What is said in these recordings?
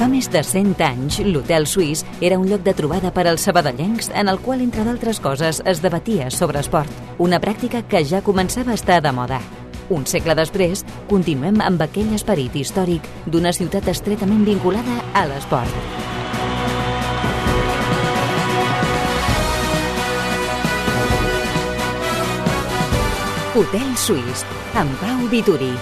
Fa més de 100 anys, l'Hotel Suís era un lloc de trobada per als sabadellencs en el qual, entre d'altres coses, es debatia sobre esport, una pràctica que ja començava a estar de moda. Un segle després, continuem amb aquell esperit històric d'una ciutat estretament vinculada a l'esport. Hotel Suís, amb Pau Vituri.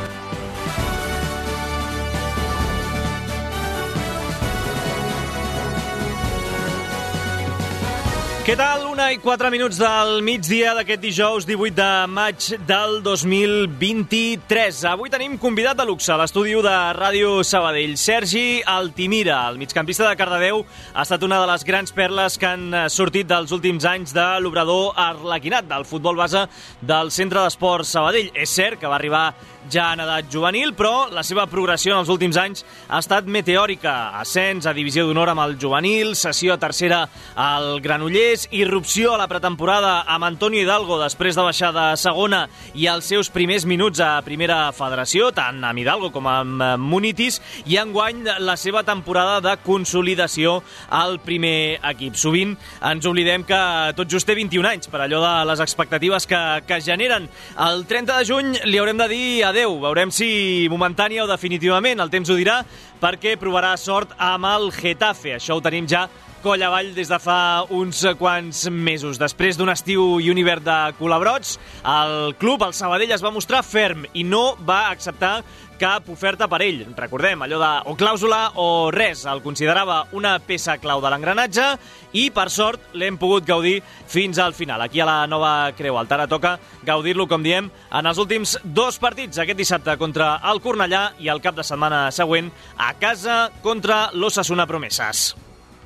Què tal? 1:04 del migdia d'aquest dijous 18 de maig del 2023. Avui tenim convidat de luxe a l'estudi de Ràdio Sabadell. Sergi Altimira, el migcampista de Cardedeu, ha estat una de les grans perles que han sortit dels últims anys de l'obrador arlequinat del futbol base del Centre d'Esports Sabadell. És cert que va arribar ja en edat juvenil, però la seva progressió en els últims anys ha estat meteòrica. Ascens a divisió d'honor amb el juvenil, cessió a tercera al Granollers, irrupció a la pretemporada amb Antonio Hidalgo després de baixar de segona i els seus primers minuts a primera federació, tant amb Hidalgo com amb Munitis, i enguany la seva temporada de consolidació al primer equip. Sovint ens oblidem que tot just té 21 anys, per allò de les expectatives que generen. El 30 de juny li haurem de dir adeu. Veurem si momentània o definitivament, el temps ho dirà, perquè provarà sort amb el Getafe. Això ho tenim ja coll avall des de fa uns quants mesos. Després d'un estiu i un hivern de culebrots, el club, el Sabadell, es va mostrar ferm i no va acceptar cap oferta per ell. Recordem, allò de o clàusula o res. El considerava una peça clau de l'engranatge i, per sort, l'hem pogut gaudir fins al final. Aquí a la Nova Creu Alta. Ara toca gaudir-lo, com diem, en els últims 2 partits. Aquest dissabte contra el Cornellà i el cap de setmana següent a casa contra l'Osasuna Promeses.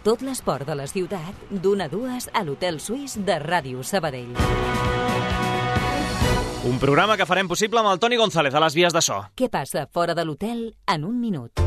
Tot l'esport de la ciutat, d'1 a 2 a l'Hotel Suís de Ràdio Sabadell. Un programa que farem possible amb el Toni González a les vies de so. Què passa fora de l'hotel en un minut?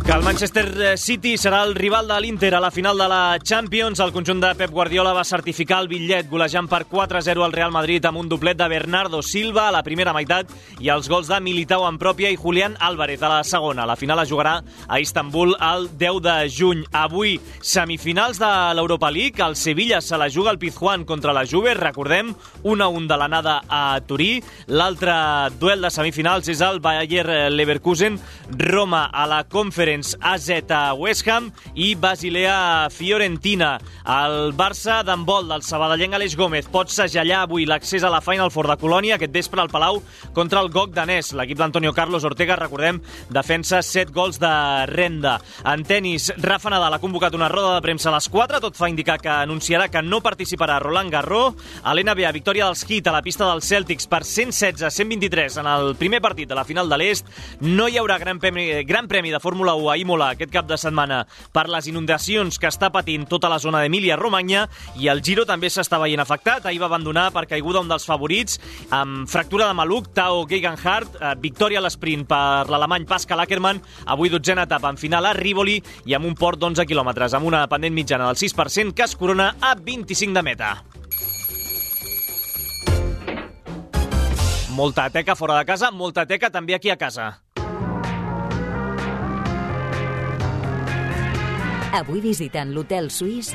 Que el Manchester City serà el rival de l'Inter a la final de la Champions. El conjunt de Pep Guardiola va certificar el bitllet golejant per 4-0 al Real Madrid amb un doblet de Bernardo Silva a la primera meitat i els gols de Militao en pròpia i Julián Álvarez a la segona. La final es jugarà a Istanbul el 10 de juny. Avui, semifinals de l'Europa League. El Sevilla se la juga al Pizjuán contra la Juve. Recordem, 1-1 de l'anada a Turí. L'altre duel de semifinals és el Bayer Leverkusen. Roma a la Conference AZ a West Ham i Basilea Fiorentina. El Barça d'handbol del sabadellenc Aleix Gómez pot segellar avui l'accés a la Final Four de Colònia aquest vespre al Palau contra el GOG danès. L'equip d'Antonio Carlos Ortega, recordem, defensa 7 gols de renda. En tenis, Rafa Nadal ha convocat una roda de premsa a les 4. Tot fa indicar que anunciarà que no participarà a Roland Garros. A l'NBA, victòria dels Heat a la pista dels Celtics per 116-123 en el primer partit de la final de l'Est. No hi haurà gran premi de Fórmula 1 a Imola aquest cap de setmana per les inundacions que està patint tota la zona d'Emília-Romagna, i el Giro també s'està veient afectat. Ahir va abandonar per caiguda un dels favorits amb fractura de maluc, Tao Geoghegan. Victòria a l'esprint per l'alemany Pascal Ackermann. Avui 12a etapa en final a Rivoli i amb un port d'11 quilòmetres amb una pendent mitjana del 6% que es corona a 25 de meta. Molta teca fora de casa, molta teca també aquí a casa. Avui visitant l'Hotel Suís.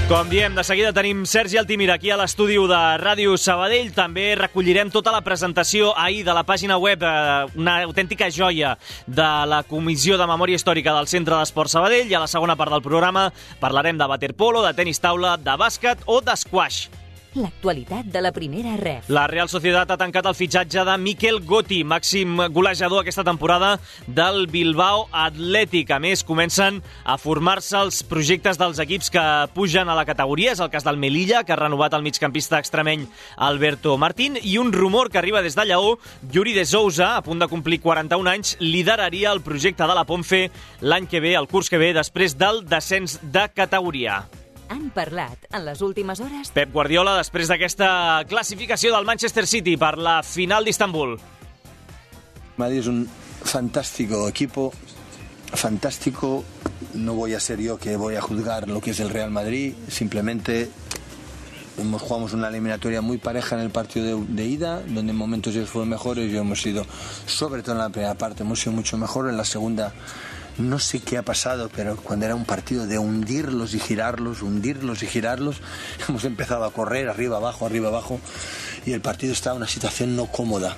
Com diem, de seguida tenim Sergi Altimira aquí a l'estudi de Ràdio Sabadell. També recollirem tota la presentació ahir de la pàgina web, una autèntica joia de la Comissió de Memòria Històrica del Centre d'Esports Sabadell, i a la segona part del programa parlarem de waterpolo, de tenis taula, de bàsquet o d'esquaix. L'actualitat de la primera ref. La Real Sociedad ha tancat el fitxatge de Mikel Gotti, màxim golejador aquesta temporada del Bilbao Athletic. A més, comencen a formar-se els projectes dels equips que pugen a la categoria. És el cas del Melilla, que ha renovat el migcampista extremeny Alberto Martín, i un rumor que arriba des de Lleó: Yuri de Souza, a punt de complir 41 anys, lideraria el projecte de la Ponfe l'any que ve, el curs que ve, després del descens de categoria. Han parlat en les últimes hores Pep Guardiola després d'aquesta classificació del Manchester City per la final d'Istanbul. Madrid es un fantástico equipo, fantástico. No voy a ser yo que voy a juzgar lo que es el Real Madrid, simplemente jugamos una eliminatoria muy pareja en el partido de ida, donde en momentos ellos fueron mejores y hemos sido, sobre todo en la primera parte, hemos sido mucho mejor. En la segunda no sé qué ha pasado, pero cuando era un partido de hundirlos y girarlos, hemos empezado a correr arriba abajo, y el partido estaba en una situación no cómoda.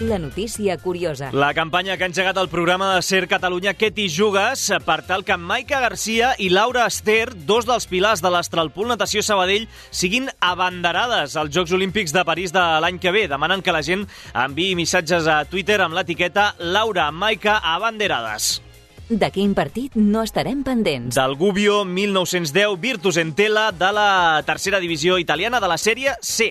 La notícia curiosa. La campanya que ha engegat el programa de Ser Catalunya Què t'hi jugues per tal que Maica Garcia i Laura Ester, dos dels pilars de l'Astralpool Natació Sabadell, siguin abanderades als Jocs Olímpics de París de l'any que ve. Demanen que la gent enviï missatges a Twitter amb l'etiqueta Laura Maica Abanderades. De quin partit no estarem pendents? Del Gubbio 1910 Virtus Entella de la tercera divisió italiana de la sèrie C.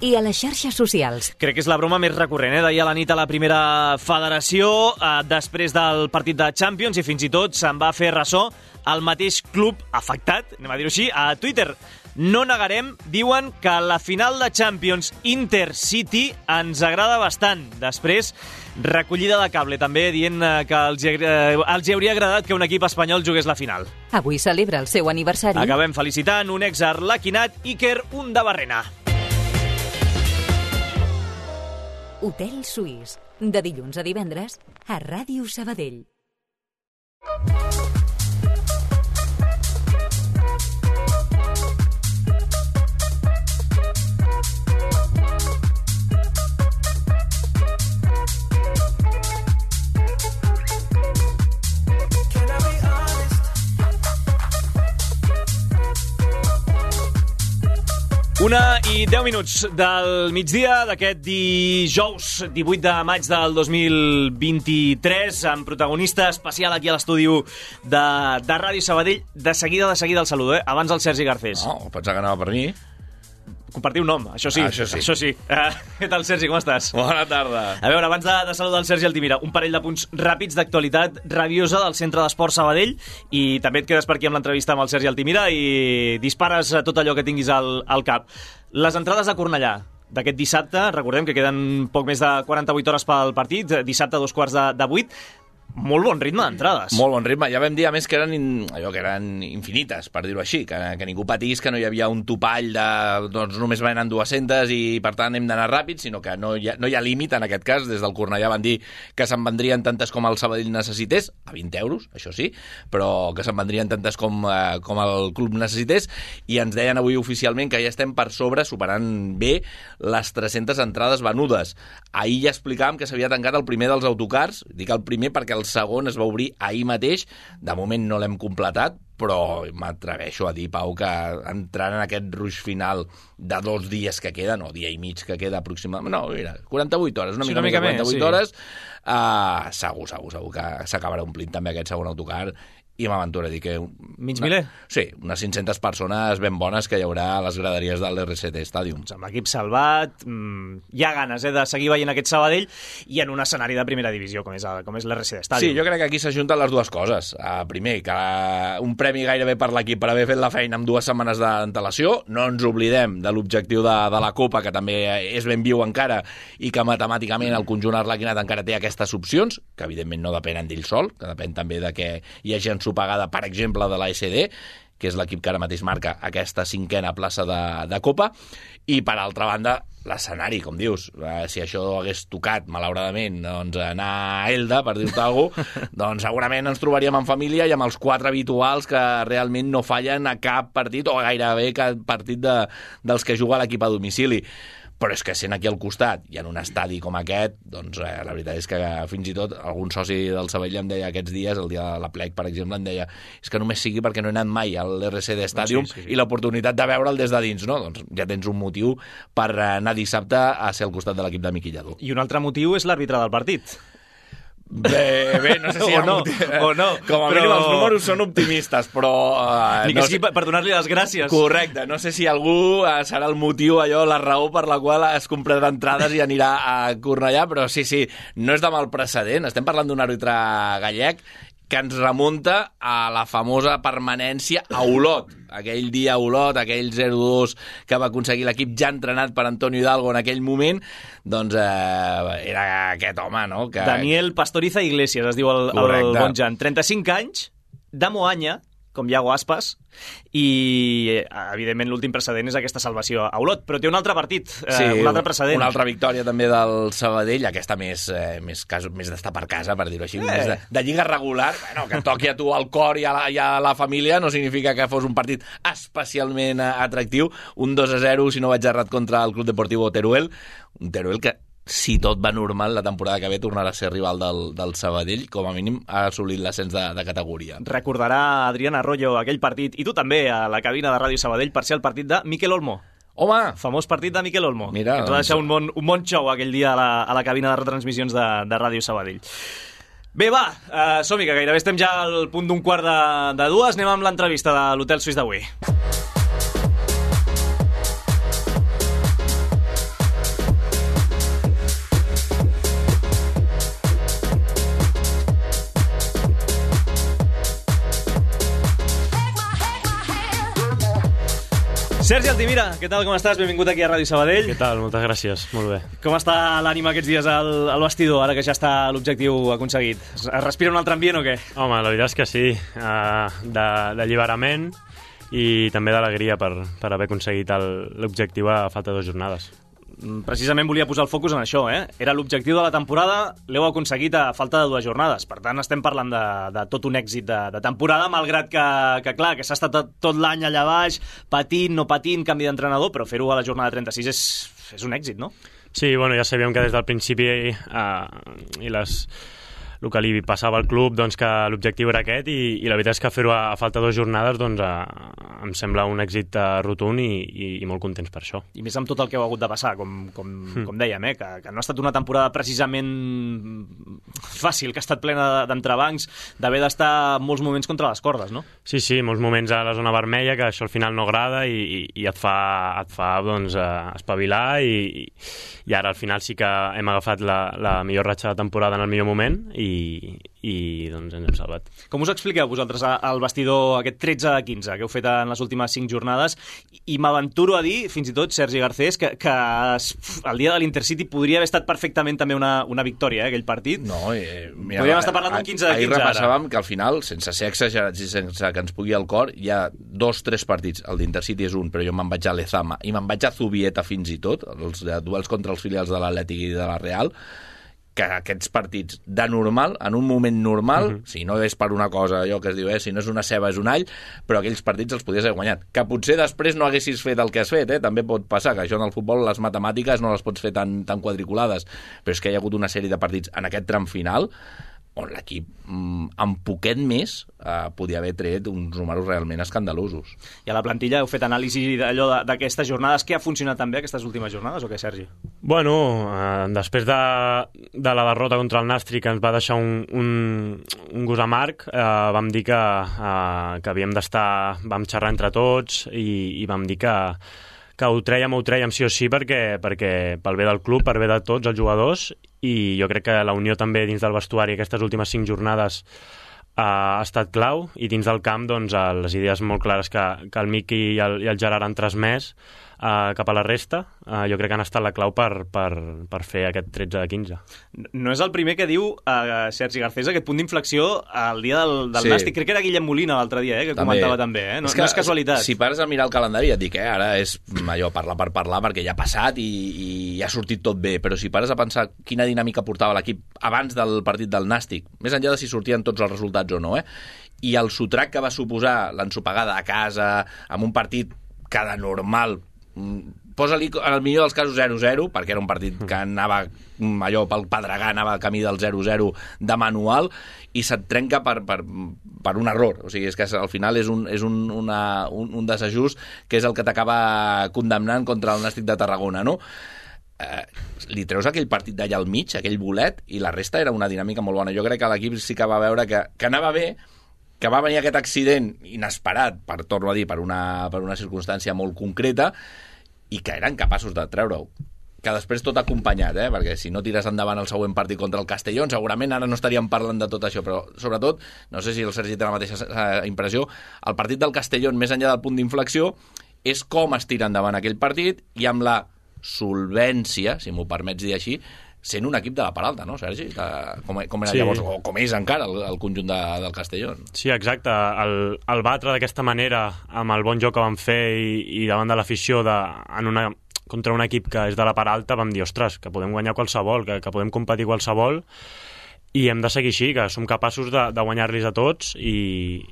I a les xarxes socials. Crec que és la broma més recurrent, d'ahir a la nit a la primera federació, després del partit de Champions, i fins i tot se'n va fer ressò el mateix club afectat, anem a dir-ho així, a Twitter. No negarem, diuen, que la final de Champions Inter-City ens agrada bastant. Després, recollida de cable, també dient que els hauria agradat que un equip espanyol jugués la final. Avui celebra el seu aniversari. Acabem felicitant un ex-arlequinat, Iker Undabarrena. Hotel Suís, de dilluns a divendres, a Ràdio Sabadell. Una i 10 minuts del migdia d'aquest dijous 18 de maig del 2023, amb protagonista especial aquí a l'estudi de Ràdio Sabadell. De seguida el saludo, abans el Sergi Garcés. No, pensava que anava per mi. Compartir un nom, això sí. Això sí. Què tal, Sergi, com estàs? Bona tarda. A veure, abans de saludar el Sergi Altimira, un parell de punts ràpids d'actualitat rabiosa del Centre d'Esport Sabadell, i també et quedes per aquí amb l'entrevista amb el Sergi Altimira i dispares tot allò que tinguis al cap. Les entrades a Cornellà d'aquest dissabte, recordem que queden poc més de 48 hores pel partit, dissabte a 7:15. Molt bon ritme d'entrades. Molt bon ritme. Ja vam dir, a més, que eren infinites, per dir-ho així, que ningú patís, que no hi havia un topall de doncs només venen 200 i per tant hem d'anar ràpid, sinó que no hi ha límit en aquest cas. Des del Cornellà van dir que se'n vendrien tantes com el Sabadell necessités, a 20 euros, això sí, però que se'n vendrien tantes com el club necessités, i ens deien avui oficialment que ja estem per sobre, superant bé les 300 entrades venudes. Ahir ja explicàvem que s'havia tancat el primer dels autocars, dic el primer perquè el segon es va obrir ahir mateix. De moment no l'hem completat, però m'atreveixo a dir, Pau, que entrant en aquest ruix final de 2 dies que queden, o dia i mig que queda aproximadament, no, mira, 48 hores, una mica més de 48 hores, segur que s'acabarà omplint també aquest segon autocar, i m'aventuro a dir que... Mig miler? Sí, unes 500 persones ben bones que hi haurà a les graderies del RCT Stadium. Amb l'equip salvat, hi ha ganes de seguir veient aquest Sabadell, i en un escenari de primera divisió, com és l'RCT Stadium. Sí, jo crec que aquí s'ajunten les dues coses. Primer, que un premi gairebé per l'equip per haver fet la feina amb 2 setmanes d'antelació. No ens oblidem de l'objectiu de la Copa, que també és ben viu encara, i que matemàticament el conjunt arlequinat encara té aquestes opcions, que evidentment no depenen d'ell sol, que depèn també de que hi hagi ensopegada, per exemple, de l'ASD, que és l'equip que ara mateix marca aquesta 5a plaça de Copa, i per altra banda l'escenari, com dius. Si això hagués tocat, malauradament, doncs anar a Elda, per dir-te alguna cosa, doncs segurament ens trobaríem en família i amb els 4 habituals que realment no fallen a cap partit, o gairebé cap partit dels que juga l'equip a domicili. Però és que sent aquí al costat i en un estadi com aquest, doncs la veritat és que fins i tot algun soci del Sabadell em deia aquests dies, el dia de la plec, per exemple, em deia és que només sigui perquè no he anat mai a l'RCD Stadium, sí. I l'oportunitat de veure'l des de dins, no? Doncs ja tens un motiu per anar dissabte a ser al costat de l'equip de Miqui Lladó. I un altre motiu és l'àrbitre del partit. Bé, no sé si o no. Com a mínim els números són optimistes, però... Ni que sigui per donar-li les gràcies. Correcte, no sé si algú serà el motiu, allò, la raó per la qual es comprarà entrades i anirà a Cornellà, però sí, no és de mal precedent. Estem parlant d'un àrbitre gallec que ens remunta a la famosa permanència a Olot. Aquell dia a Olot, aquell 0-2 que va aconseguir l'equip ja entrenat per Antonio Hidalgo en aquell moment, doncs era aquest home, no? Daniel Pastoriza Iglesias, es diu el bon Jan. 35 anys, de Moanya, com Iago Aspas, i evidentment l'últim precedent és aquesta salvació a Olot, però té un altre partit, un altre precedent. Una altra victòria també del Sabadell, aquesta més d'estar per casa, per dir-ho així, més de lliga regular. Bueno, que toqui a tu al cor i a la família no significa que fos un partit especialment atractiu. Un 2-0, si no vaig errat, contra el Club Deportivo Teruel, un Teruel que, si tot va normal, la temporada que ve tornarà a ser rival del Sabadell, com a mínim ha assolit l'ascens de categoria. Recordarà Adrián Arroyo aquell partit, i tu també, a la cabina de Ràdio Sabadell, per ser el partit de Miquel Olmo. Home! Famós partit de Miquel Olmo. Mira, que ens va deixar un bon show aquell dia a la cabina de retransmissions de Ràdio Sabadell. Bé, va, som-hi, que gairebé estem ja al punt d'un quart de dues. Anem amb l'entrevista de l'Hotel Suís d'avui. Sergi Altimira, què tal, com estàs? Benvingut aquí a Ràdio Sabadell. Què tal? Moltes gràcies, molt bé. Com està l'ànima aquests dies al vestidor, ara que ja està l'objectiu aconseguit? Es respira un altre ambient o què? Home, la veritat és que sí, d'alliberament i també d'alegria per haver aconseguit l'objectiu a falta de 2 jornades. Precisament volia posar el focus en això, Era l'objectiu de la temporada, l'heu aconseguit a falta de 2 jornades. Per tant, estem parlant de tot un èxit de temporada, malgrat que clar, que s'ha estat tot l'any allà baix, patint, no patint, canvi d'entrenador, però fer-ho a la jornada 36 és un èxit, no? Sí, bueno, ja sabíem que des del principi el que li passava al club, doncs, que l'objectiu era aquest, i la veritat és que fer-ho a falta de 2 jornades doncs, em sembla un èxit rotund i molt contents per això. I més amb tot el que heu hagut de passar, com dèiem, que no ha estat una temporada precisament fàcil, que ha estat plena d'entrebancs, d'haver d'estar molts moments contra les cordes, no? Sí, molts moments a la zona vermella, que això al final no agrada i et fa doncs, espavilar, i ara al final sí que hem agafat la millor ratxa de temporada en el millor moment i doncs ens hem salvat. Com us expliqueu vosaltres al vestidor aquest 13-15 que heu fet en les últimes 5 jornades? I m'aventuro a dir, fins i tot, Sergi Garcés, que el dia de l'Intercity podria haver estat perfectament també una victòria, aquell partit. No, mira, podríem estar parlant d'un 15-15 ara. Ahir repassàvem que al final, sense ser exagerats i sense que ens pugui al cor, hi ha 2-3 partits. El d'Intercity és un, però jo me'n vaig a Lezama i me'n vaig a Zubieta fins i tot, els duels contra els filials de l'Atlètic i de la Real, que aquests partits de normal, en un moment normal, si no és per una cosa, allò que es diu, si no és una ceba és un all, però aquells partits els podies haver guanyat. Que potser després no haguessis fet el que has fet, també pot passar, que això en el futbol les matemàtiques no les pots fer tan quadriculades, però és que hi ha hagut una sèrie de partits en aquest tram final on l'equip amb poquet més podia haver tret uns números realment escandalosos. I a la plantilla heu fet anàlisi d'allò d'aquestes jornades. Què ha funcionat també aquestes últimes jornades o què, Sergi? Bueno, després de la derrota contra el Nàstic, que ens va deixar un gust amarg, vam dir que havíem d'estar, vam xerrar entre tots i vam dir que ho trèiem sí o sí perquè pel bé del club, per bé de tots els jugadors, i jo crec que la unió també dins del vestuari aquestes últimes 5 jornades ha estat clau, i dins del camp doncs, les idees molt clares que el Miqui i el Gerard han transmès cap a la resta, jo crec que han estat la clau per fer aquest 13-15. No és el primer que diu Sergi Garcés aquest punt d'inflexió al dia del Nàstic. Crec que era Guillem Molina l'altre dia, que comentava també. No és casualitat. Si pares a mirar el calendari et dic, ara és allò parlar per parlar perquè ja ha passat i ha sortit tot bé, però si pares a pensar quina dinàmica portava l'equip abans del partit del Nàstic, més enllà de si sortien tots els resultats o no, i el sotrac que va suposar l'ensopegada a casa, amb un partit que de normal posa-li en el millor dels casos 0-0, perquè era un partit que anava allò pel pedregar, anava al camí del 0-0 de manual, i se't trenca per un error. O sigui, és que al final és un desajust que és el que t'acaba condemnant contra el Nàstic de Tarragona, no? Li treus aquell partit d'allà al mig, aquell bolet, i la resta era una dinàmica molt bona. Jo crec que l'equip sí que va veure que anava bé, que va venir aquest accident inesperat, torno a dir, per una circumstància molt concreta, i que eren capaços de treure-ho. Que després tot acompanyat, perquè si no tires endavant el següent partit contra el Castellón, segurament ara no estaríem parlant de tot això, però sobretot, no sé si el Sergi té la mateixa impressió, el partit del Castellón, més enllà del punt d'inflexió, és com es tira endavant aquell partit, i amb la solvència, si m'ho permets dir així, sent un equip de la Peralta, no, Sergi? Com era llavors, o com és encara el conjunt del Castellón. Sí, exacte. El batre d'aquesta manera, amb el bon joc que vam fer i davant de l'afició contra un equip que és de la Peralta, vam dir, ostres, que podem guanyar qualsevol, que podem competir qualsevol, i hem de seguir així, que som capaços de guanyar-los a tots i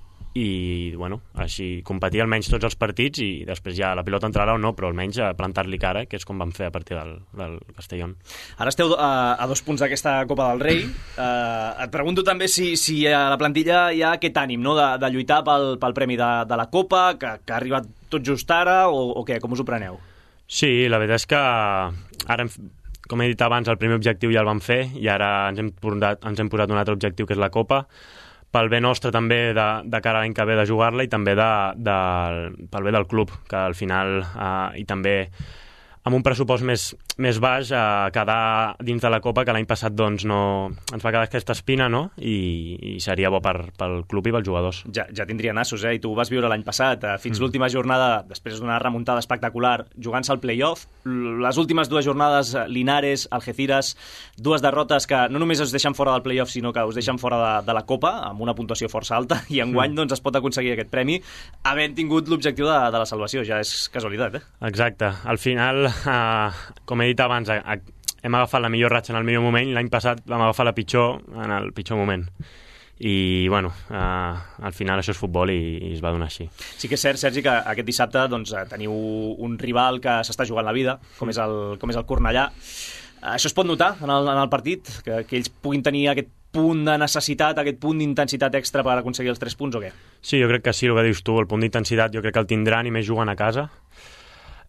bueno, així competir almenys tots els partits i després ja la pilota entrarà o no, però almenys plantar-li cara, que és com vam fer a partir del Castellón. Ara esteu a 2 punts d'aquesta Copa del Rei. Et pregunto també si a la plantilla hi ha aquest ànim, no?, de lluitar pel premi de la Copa, que ha arribat tot just ara, o què? Com us ho preneu? Sí, la veritat és que ara, com he dit abans, el primer objectiu ja el vam fer i ara ens hem posat un altre objectiu, que és la Copa, pel bé nostre també de cara a l'any que ve de jugar-la i també pel bé del club, que al final, i també amb un pressupost més baix, quedar dins de la Copa, que l'any passat doncs, no ens va quedar aquesta espina, no? I seria bo pel club i pels jugadors. Ja tindria nassos, I tu ho vas viure l'any passat, fins l'última jornada, després d'una remuntada espectacular, jugant-se al play-off. Les últimes 2 jornades, Linares, Algeciras, 2 derrotes que no només us deixen fora del play-off, sinó que us deixen fora de la Copa, amb una puntuació força alta, i enguany doncs, es pot aconseguir aquest premi, havent tingut l'objectiu de la salvació. Ja és casualitat, Exacte. Al final, com he dit abans, hem agafat la millor ratxa en el millor moment i l'any passat vam agafar la pitjor en el pitjor moment. I, bueno, al final això és futbol i es va donar així. Sí que és cert, Sergi, que aquest dissabte doncs, teniu un rival que s'està jugant la vida, com és el Cornellà. Això es pot notar en el partit? Que ells puguin tenir aquest punt de necessitat, aquest punt d'intensitat extra per aconseguir els 3 punts, o què? Sí, jo crec que sí, el que dius tu, el punt d'intensitat jo crec que el tindran i més jugant a casa.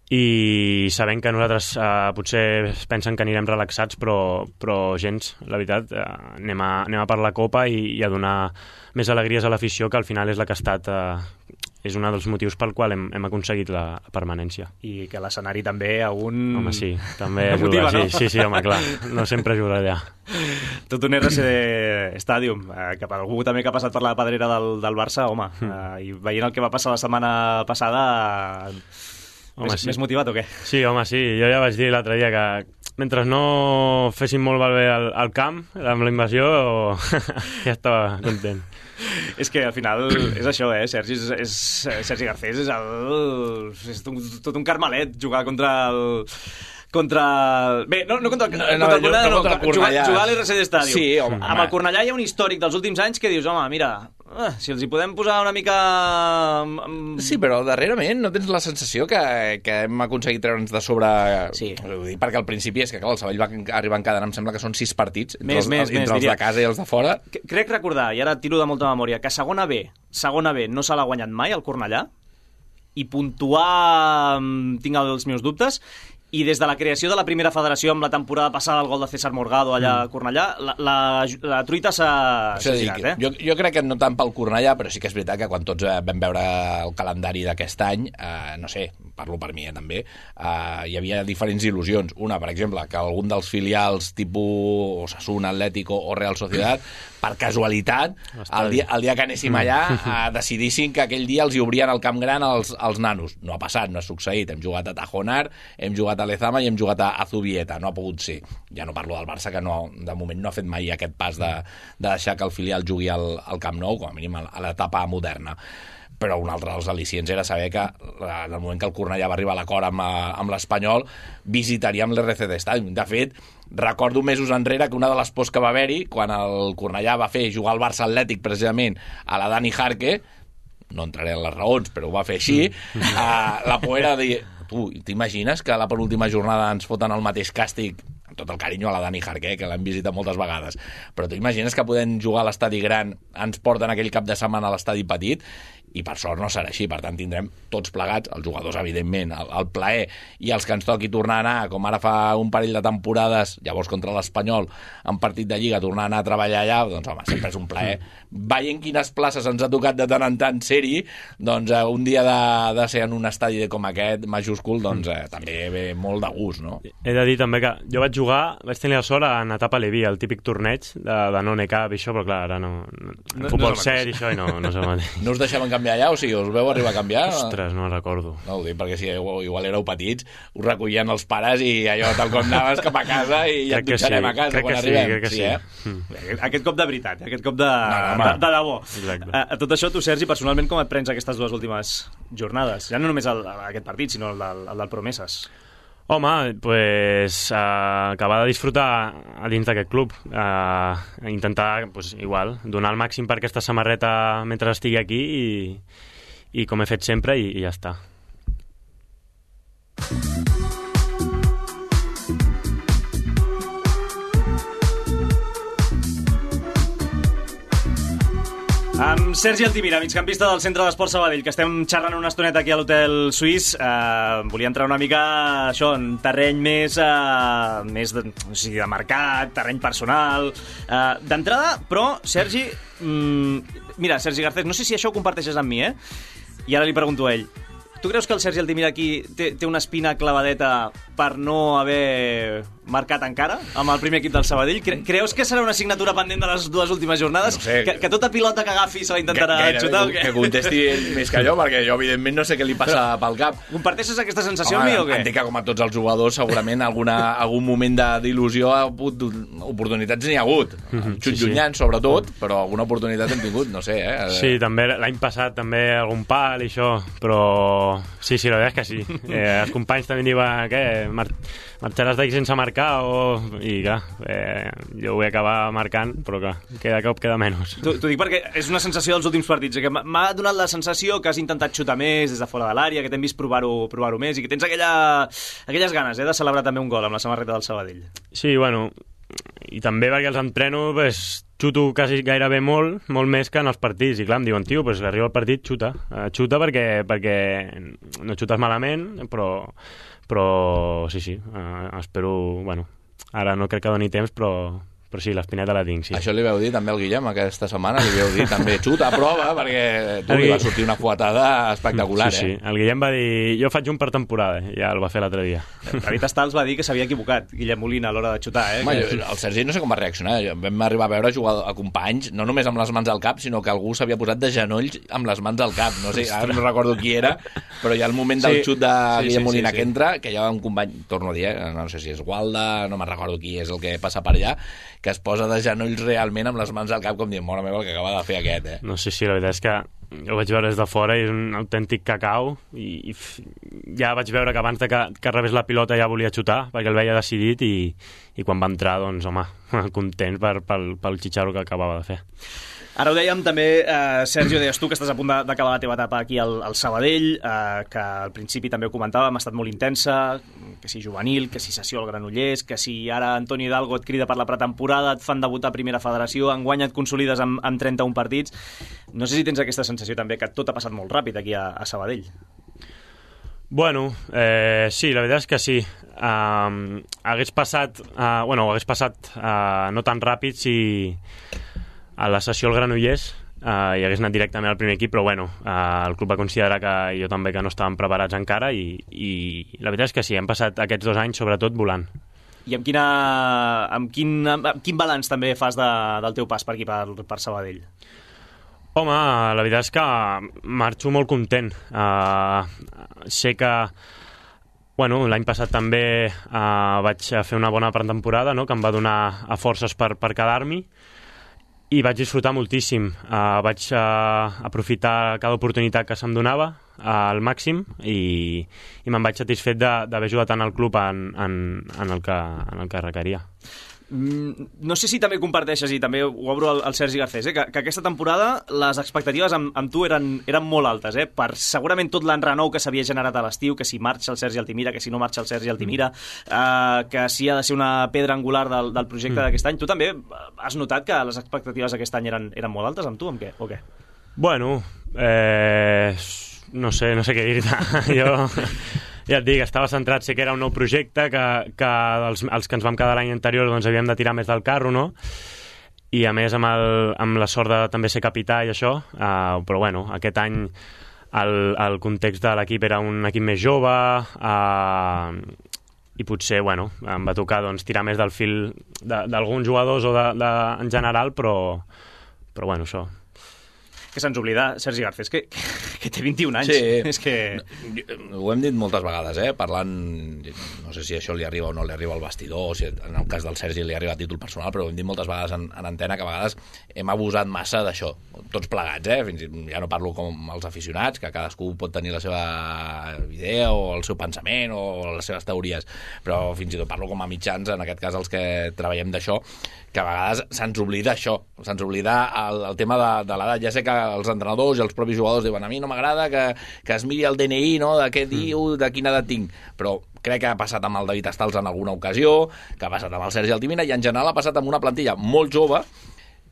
I sabent que nosaltres potser pensen que anirem relaxats, però gens, la veritat, anem a per la Copa i a donar més alegries a l'afició, que al final és la que ha estat és un dels motius pel qual hem aconseguit la permanència. I que l'escenari també Home, sí, també motiva, ajuda, no? Sí, home, clar, no sempre ajuda allà. Tot un RCD Stadium, que per algú també que ha passat per la pedrera del Barça, home, i veient el que va passar la setmana passada... Més motivat o què? Sí, home, sí. Jo ja vaig dir l'altre dia que mentre no fessin molt bé al camp, amb la invasió, ja estava content. És que al final és això, Sergi Garcés és tot un carmelet jugar contra el... Bé, no contra el Cornellà, jugar a l'RCD Stadium. Sí, home. Amb el Cornellà hi ha un històric dels últims anys que dius, home, mira, si els hi podem posar una mica... Sí, però darrerament no tens la sensació que hem aconseguit treure'ns de sobre... Sí. Perquè al principi és que el Sabadell va arribar encara, em sembla que són 6 partits, entre els diria. de casa i els de fora. Crec recordar, i ara tiro de molta memòria, que segona B no se l'ha guanyat mai el Cornellà, i puntuar tinc els meus dubtes. I des de la creació de la primera federació amb la temporada passada, el gol de César Morgado allà a Cornellà, la truita s'ha girat, Jo crec que no tant pel Cornellà, però sí que és veritat que quan tots vam veure el calendari d'aquest any, no sé, parlo per mi també, hi havia diferents il·lusions. Una, per exemple, que algun dels filials tipus Osasuna, Atlético o Real Sociedad, per casualitat, el dia que anéssim allà, decidissin que aquell dia els hi obrien el camp gran als nanos. No ha passat, no ha succeït. Hem jugat a Tajonar, hem jugat a Lezama i hem jugat a Zubieta. No ha pogut ser. Ja no parlo del Barça, que de moment no ha fet mai aquest pas de deixar que el filial jugui al Camp Nou, com a mínim a l'etapa moderna. Però un altre dels al·licients era saber que en el moment que el Cornellà va arribar a l'acord amb l'Espanyol, visitaríem l'RCD Stadium. De fet, recordo mesos enrere que una de les pors que va haver-hi, quan el Cornellà va fer jugar al Barça Atlètic precisament a la Dani Jarque, no entraré en les raons, però ho va fer així, la por era dir, tu, t'imagines que a la penúltima jornada ens foten el mateix càstig, amb tot el carinyo a la Dani Jarque, que l'hem visitat moltes vegades, però t'imagines que podem jugar a l'estadi gran, ens porten aquell cap de setmana a l'estadi petit, i per sort no serà així, per tant tindrem tots plegats, els jugadors evidentment, el plaer, i els que ens toqui tornar a anar, com ara fa un parell de temporades, llavors contra l'Espanyol, en partit de Lliga, tornar a anar a treballar allà, doncs home, sempre és un plaer. Veient quines places ens ha tocat de tant en tant ser-hi, doncs un dia de ser en un estadi com aquest, majúscul, doncs també ve molt de gust, no? He de dir també que jo vaig tenir la sort en etapa Leví, el típic torneig de non-ECAP i això, però clar, ara no futbol sèrie i això, i no és el mateix. No us deixaven canviar allà? O sigui, us veu arribar a canviar? Ostres, no recordo. No ho dic, perquè si igual éreu petits, us recollien els pares i allò tal com anaves cap a casa i ja et dutxarem a casa quan arribem. Crec que sí. Aquest cop de veritat, aquest cop de debò. A tot això, tu, Sergi, personalment, com et prens aquestes dues últimes jornades? Ja no només aquest partit, sinó el del Promeses. Home, pues, acabar de disfrutar a dins d'aquest club, intentar, pues, igual, donar el màxim per aquesta samarreta mentre estigui aquí i com he fet sempre i ja està. Amb Sergi Altimira, migcampista del Centre d'Esport Sabadell, que estem xerrant una estoneta aquí a l'Hotel Suís. Volia entrar una mica això, en terreny més de mercat, terreny personal. D'entrada, però, Sergi... mira, Sergi Garcés, no sé si això ho comparteixes amb mi, I ara li pregunto a ell. Tu creus que el Sergi Altimira aquí té una espina clavadeta per no haver marcat encara amb el primer equip del Sabadell? Creus que serà una assignatura pendent de les dues últimes jornades? No sé, que tota pilota que agafi se la intentarà xutar? Que contesti ell més que jo, perquè jo evidentment no sé què li passa pel cap. Comparteixes aquesta sensació amb mi o què? Entenc que com a tots els jugadors segurament algun moment d'il·lusió, oportunitats n'hi ha hagut. Xut llunyant sobretot, però alguna oportunitat hem tingut, no sé. Sí, també l'any passat també algun pal i això, però sí, la veritat és que sí. Els companys també diuen que marxaràs d'aquí sense marcar i clar, jo ho vull acabar marcant, però clar, cada cop queda menys. T'ho dic perquè és una sensació dels últims partits, que m'ha donat la sensació que has intentat xutar més des de fora de l'àrea, que t'hem vist provar-ho més i que tens aquelles ganes de celebrar també un gol amb la samarreta del Sabadell. Sí, bueno, i també perquè els entreno, xuto quasi gairebé molt més que en els partits, i clar, em diuen, tio, arriba el partit, xuta perquè no xutes malament, però sí, espero, bueno, ara no crec que doni temps, però sí, l'espineta la tinc, sí. Això li veu dir també al Guillem aquesta setmana, li veu dir també xuta a prova, perquè tu li va sortir una fuetada espectacular, Sí, el Guillem va dir, jo faig un per temporada, ja el va fer l'altre dia. David Estals va dir que s'havia equivocat, Guillem Molina, a l'hora de xutar, El Sergi no sé com va reaccionar, vam arribar a veure jugar a companys, no només amb les mans al cap, sinó que algú s'havia posat de genolls amb les mans al cap, no sé, ara no recordo qui era, però hi ha el moment del xut de Guillem Molina que entra, que hi ha un company, torno a dir, no sé si és Gualda, no me'n recordo qui és el que passa per allà, que es posa de genolls realment amb les mans al cap com dient, mare meva, el que acaba de fer aquest, No sé si la veritat és que jo ho vaig veure des de fora i és un autèntic cacau i ja vaig veure que abans que rebés la pilota ja volia xutar perquè el veia decidit i quan va entrar, doncs, home, content pel xitxarro que acabava de fer. Ara ho dèiem també, Sergio, deies tu que estàs a punt d'acabar la teva etapa aquí al Sabadell, que al principi també ho comentàvem, ha estat molt intensa, que si juvenil, que si sessió al Granollers, que si ara Antoni Hidalgo et crida per la pretemporada, et fan debutar a Primera Federació, enguany et consolides amb 31 partits. No sé si tens aquesta sensació també que tot ha passat molt ràpid aquí a Sabadell. Bueno, sí, la veritat és que sí. Hagués passat no tan ràpid si a la sessió al Granollers hi hagués anat directament al primer equip, però bueno, el club va considerar que jo també que no estàvem preparats encara i la veritat és que sí, hem passat aquests 2 anys sobretot volant. I amb quin balanç també fas del teu pas per aquí, per Sabadell? Home, la veritat és que marxo molt content. Sé que l'any passat també vaig fer una bona pretemporada, no?, que em va donar forces per quedar-m'hi i vaig disfrutar moltíssim. Vaig aprofitar cada oportunitat que se'm donava al màxim i me'n vaig satisfet d'haver ajudat tant al club en el que requeria. No sé si també comparteixes, i també ho obro al Sergi Garcés, que aquesta temporada les expectatives amb tu eren molt altes, per segurament tot l'enrenou que s'havia generat a l'estiu, que si marxa el Sergi Altimira, que si no marxa el Sergi Altimira, que si ha de ser una pedra angular del projecte d'aquest any. Tu també has notat que les expectatives d'aquest any eren molt altes amb tu, amb què? O què? Bueno, no sé què dir-te. Jo ja et dic, estava centrat, sé que era un nou projecte, que els que ens vam quedar l'any anterior doncs havíem de tirar més del carro, no? I a més amb la sort de també ser capità i això, però bueno, aquest any el context de l'equip era un equip més jove i potser, bueno, em va tocar doncs, tirar més del fil d'alguns jugadors o en general, però bueno, això. que se'ns oblida Sergi Garcés, que té 21 anys. Sí. És que... Ho hem dit moltes vegades, parlant, no sé si això li arriba o no li arriba al vestidor, o si en el cas del Sergi li arriba a títol personal, però ho hem dit moltes vegades en antena, que a vegades hem abusat massa d'això, tots plegats, fins i tot ja no parlo com els aficionats, que cadascú pot tenir la seva idea o el seu pensament o les seves teories, però fins i tot parlo com a mitjans, en aquest cas els que treballem d'això, que a vegades se'ns oblida això, se'ns oblida el tema de l'edat. Ja sé que els entrenadors i els propis jugadors diuen a mi no m'agrada que es miri el DNI, no?, de què diu, de quina edat tinc, però crec que ha passat amb el David Estals en alguna ocasió, que ha passat amb el Sergi Altimina, i en general ha passat amb una plantilla molt jove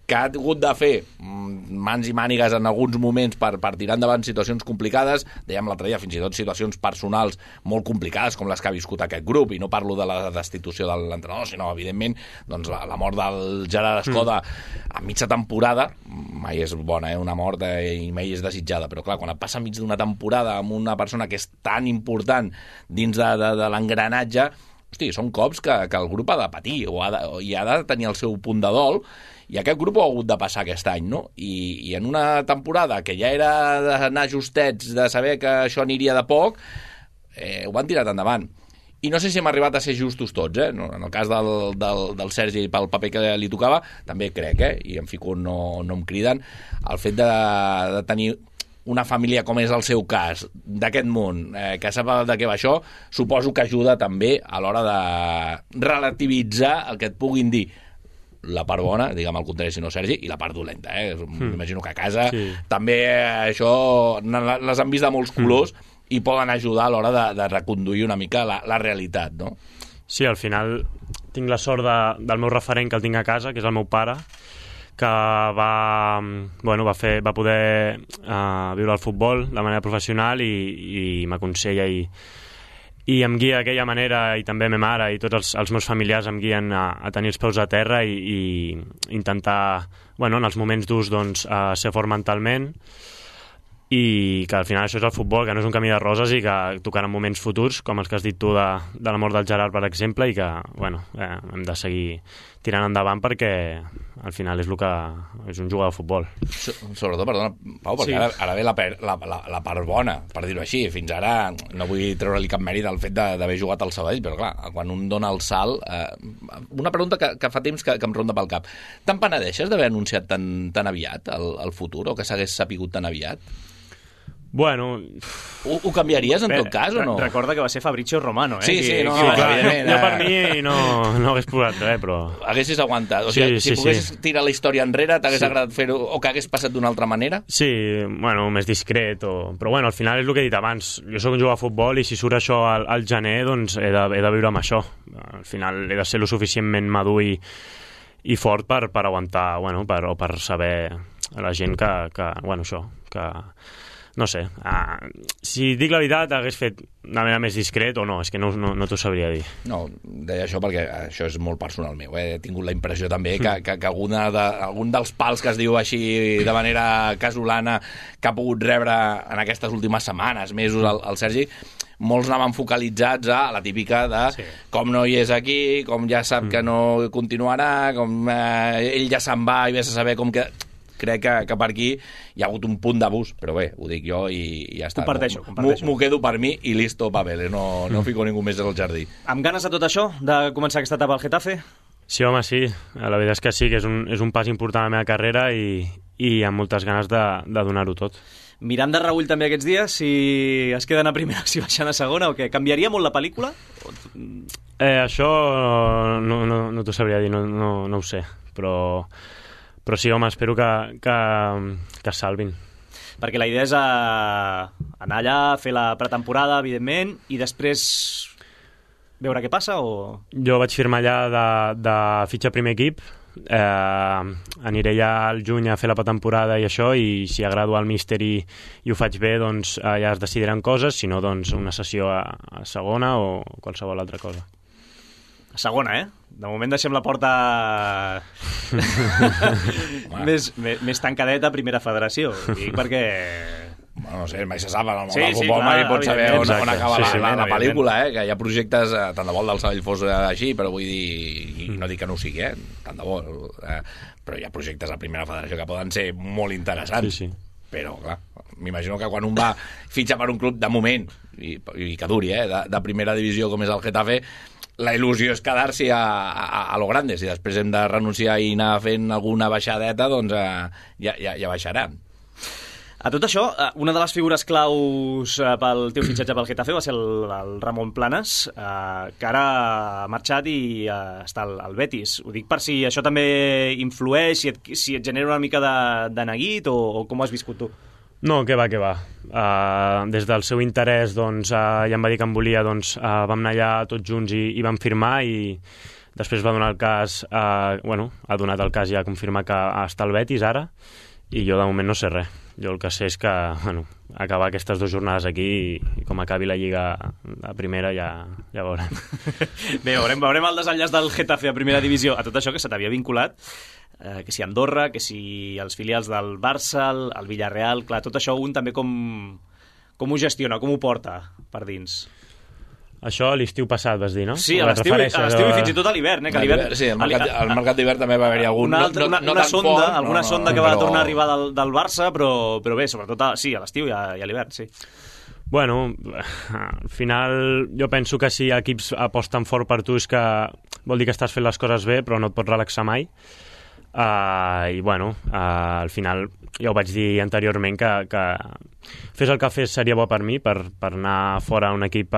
que ha hagut de fer mans i mànigues en alguns moments per tirar endavant situacions complicades, dèiem l'altre dia, fins i tot situacions personals molt complicades com les que ha viscut aquest grup, i no parlo de la destitució de l'entrenador, sinó, evidentment, doncs, la mort del Gerard Escoda a mitja temporada, mai és bona, una mort, i mai és desitjada, però clar, quan et passa mig d'una temporada amb una persona que és tan important dins de l'engranatge, hosti, són cops que el grup ha de patir i ha de tenir el seu punt de dol, i aquest grup ho ha hagut de passar aquest any, no? I en una temporada que ja era d'anar justets, de saber que això aniria de poc, ho van tirar endavant. I no sé si hem arribat a ser justos tots, En el cas del Sergi, pel paper que li tocava, també crec, i em fico on no em criden, el fet de tenir una família com és el seu cas, d'aquest món, que sap de què va això, suposo que ajuda també a l'hora de relativitzar el que et puguin dir la part bona, diguem al contrari, si no Sergi, i la part dolenta, M'imagino que a casa també això les han vist de molts colors i poden ajudar a l'hora de reconduir una mica la realitat, no? Sí, al final tinc la sort del meu referent que el tinc a casa, que és el meu pare, que va poder viure el futbol de manera professional i m'aconsella i em guia d'aquella manera, i també ma mare i tots els meus familiars em guien a tenir els peus a terra i intentar, en els moments durs, ser fort mentalment, i que al final això és el futbol, que no és un camí de roses i que tocaran moments futurs, com els que has dit tu de la mort del Gerard, per exemple, i que hem de seguir tirant endavant perquè al final és el que és un jugador de futbol. Sobretot, perdona, Pau, perquè ara ve la part bona, per dir-ho així. Fins ara no vull treure-li cap mèrit al fet d'haver jugat al Sabadell, però clar, quan un dona el salt... Una pregunta que fa temps que em ronda pel cap. Te'n penedeixes d'haver anunciat tan aviat el futur, o que s'hagués sapigut tan aviat? Bueno... Ho canviaries, en tot cas, o no? Recorda que va ser Fabrizio Romano, Sí, no, evidentment. Jo per mi no hagués posat res, però... Haguessis aguantat. O sigui, si poguessis tirar la història enrere, t'hagués agradat fer-ho, o que hagués passat d'una altra manera? Sí, més discret, però al final és el que he dit abans. Jo sóc un jugador de futbol i si surt això al gener, doncs he de viure amb això. Al final he de ser lo suficientment madur i fort per aguantar, per saber a la gent que no sé, si dic la veritat hagués fet de manera més discret o no, és que no t'ho sabria dir. No, deia això perquè això és molt personal meu, He tingut la impressió també que algun dels pals que es diu així de manera casolana que ha pogut rebre en aquestes últimes setmanes, mesos, el Sergi, molts anaven focalitzats a la típica de com no hi és aquí, com ja sap que no continuarà, com ell ja se'n va i vés a saber com que... Crec que per aquí hi ha hagut un punt d'abús, però bé, ho dic jo i ja està. Comparteixo. M'ho quedo per mi i listo, papeles, no fico ningú més al jardí. Amb ganes de tot això, de començar aquesta etapa al Getafe? Sí, home, sí. La veritat és que sí, que és un pas important a la meva carrera i amb moltes ganes de donar-ho tot. Mirant de reull també aquests dies, si es queden a primera, si baixen a segona, o què? Canviaria molt la pel·lícula? Això no t'ho sabria dir, no ho sé, però sí, home, espero que salvin. Perquè la idea és anar allà, fer la pretemporada, evidentment, i després veure què passa, o...? Jo vaig firmar allà de fitxa primer equip, aniré ja al juny a fer la pretemporada i això, i si agrado al míster i ho faig bé, doncs ja es decidiran coses, si no, doncs una sessió a segona o qualsevol altra cosa. A segona, De moment deixem la porta més tancadeta a primera federació. Dic perquè... Bueno, no sé, mai se sap, el sí, futbol mai pot saber on acaba la pel·lícula, que hi ha projectes, tant de bo el del Sabadell fos així, però vull dir, i no dic que no ho sigui, tant de bo, però hi ha projectes a primera federació que poden ser molt interessants. Sí. però clar, m'imagino que quan un va fitxa per un club de moment, i que duri, de primera divisió com és el Getafe, la il·lusió és quedar-s'hi a lo grande. Si després hem de renunciar i anar fent alguna baixadeta, doncs ja baixarà. A tot això, una de les figures claus pel teu fitxatge pel Getafe va ser el Ramon Planes, que ara ha marxat i està al Betis. Ho dic per si això també influeix, si et genera una mica de neguit o com ho has viscut tu? No, què va. Des del seu interès, doncs, ja em va dir que em volia, doncs, vam anar allà tots junts i vam firmar, i després va donar el cas, ha donat el cas ja a confirmar que està al Betis ara, i jo de moment no sé res. Jo el que sé és que, acabar aquestes 2 jornades aquí i com acabi la Lliga a primera ja veurem. Bé, veurem el desenllaç del Getafe a primera divisió. A tot això que se t'havia vinculat, que si Andorra, que si els filials del Barça, el Villarreal, clar, tot això un també com ho gestiona, com ho porta per dins? Això l'estiu passat vas dir, no? Sí, a l'estiu i fins i tot a l'hivern. Sí, al mercat d'hivern també va haver-hi alguna sonda que va tornar a arribar del Barça, però bé, sobretot a l'estiu i a l'hivern, sí. Bueno, al final jo penso que si equips aposten fort per tu és que vol dir que estàs fent les coses bé, però no et pots relaxar mai. I al final ja ho vaig dir anteriorment que fes el que fes seria bo per mi, per anar fora a un equip,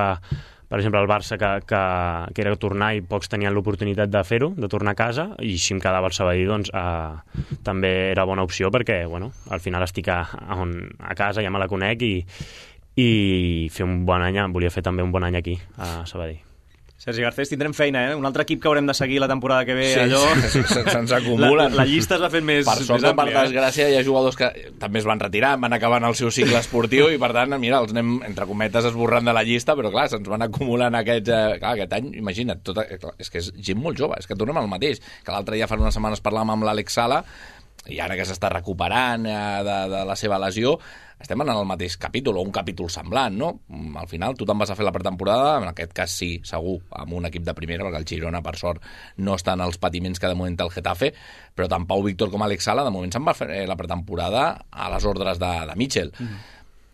per exemple el Barça, que era tornar i pocs tenien l'oportunitat de fer-ho, de tornar a casa, i si em quedava al Sabadell doncs també era bona opció, perquè al final estic a casa, ja me la conec, i fer un bon any, volia fer també un bon any aquí a Sabadell. Sergi Garcés, tindrem feina, un altre equip que haurem de seguir la temporada que ve, sí, allò... Se'ns acumulen. La llista es va fent més àmplia. Per sort, per desgràcia, hi ha jugadors que també es van retirar, van acabant el seu cicle esportiu i, per tant, mira, els anem, entre cometes, esborrant de la llista, però, clar, se'ns van acumulant aquest any, imagina't, és que és gent molt jove, és que tornem al mateix, que l'altre dia fa unes setmanes parlàvem amb l'Àlex Sala, i ara que s'està recuperant de la seva lesió, estem en el mateix capítol, o un capítol semblant, no? Al final, tu te'n vas a fer la pretemporada, en aquest cas sí, segur, amb un equip de primera, perquè el Girona, per sort, no està en els patiments que de moment té el Getafe, però tant Pau Víctor com Àlex Sala, de moment se'n va fer la pretemporada a les ordres de Mitchell.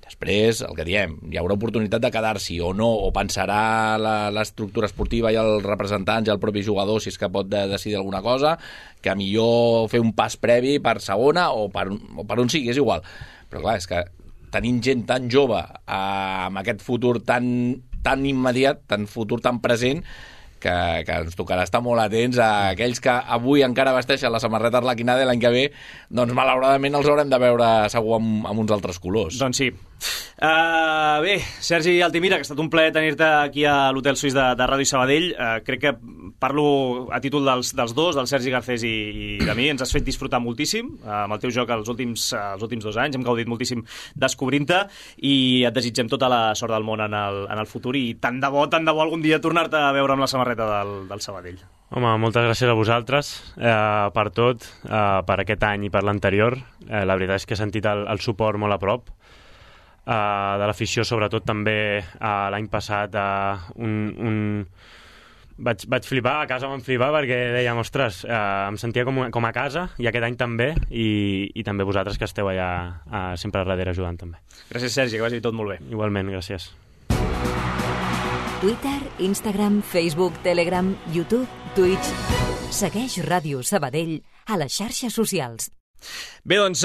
Després, el que diem, hi haurà oportunitat de quedar-s'hi o no, o pensarà l'estructura esportiva i els representants i el propi jugador si és que pot decidir alguna cosa, que millor fer un pas previ per segona o per on sigui, és igual. Però clar, és que tenint gent tan jove amb aquest futur tan immediat, tan futur tan present, que ens tocarà estar molt atents a aquells que avui encara vesteixen la samarreta arlequinada i l'any que ve, doncs malauradament els haurem de veure segur amb uns altres colors. Doncs sí. Bé, Sergi Altimira, que ha estat un plaer tenir-te aquí a l'Hotel Suís de Ràdio Sabadell. Crec que parlo a títol dels dos, del Sergi Garcés i de mi. Ens has fet disfrutar moltíssim amb el teu joc els últims 2 anys. Hem gaudit moltíssim descobrint-te i et desitgem tota la sort del món en el futur, i tant de bo algun dia tornar-te a veure amb la samarreta del Sabadell. Home, moltes gràcies a vosaltres per tot, per aquest any i per l'anterior. La veritat és que he sentit el suport molt a prop de l'afició, sobretot també l'any passat vaig flipar, a casa vam flipar perquè dèiem, ostres, em sentia com a casa, i aquest any també, i també vosaltres que esteu allà sempre a darrere ajudant també. Gràcies, Sergi, que vagi tot molt bé. Igualment, gràcies. Twitter, Instagram, Facebook, Telegram, YouTube, Twitch. Segueix Ràdio Sabadell a les xarxes socials. Bé, doncs,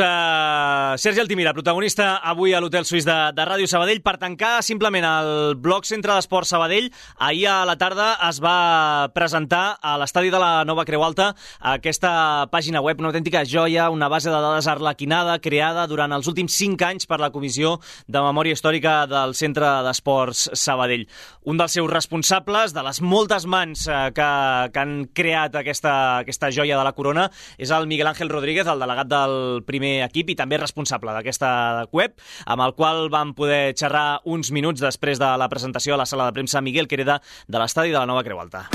Sergi Altimira, protagonista avui a l'Hotel Suís de Ràdio Sabadell. Per tancar, simplement, el blog Centre d'Esport Sabadell, ahir a la tarda es va presentar a l'estadi de la Nova Creu Alta aquesta pàgina web, una autèntica joia, una base de dades arlequinada creada durant els últims 5 anys per la Comissió de Memòria Històrica del Centre d'Esports Sabadell. Un dels seus responsables, de les moltes mans que han creat aquesta joia de la corona, és el Miguel Ángel Rodríguez, el delegat del primer equip i també responsable d'aquesta web, amb el qual vam poder xerrar uns minuts després de la presentació a la sala de premsa Miguel Quereda de l'estadi de la Nova Creu Alta.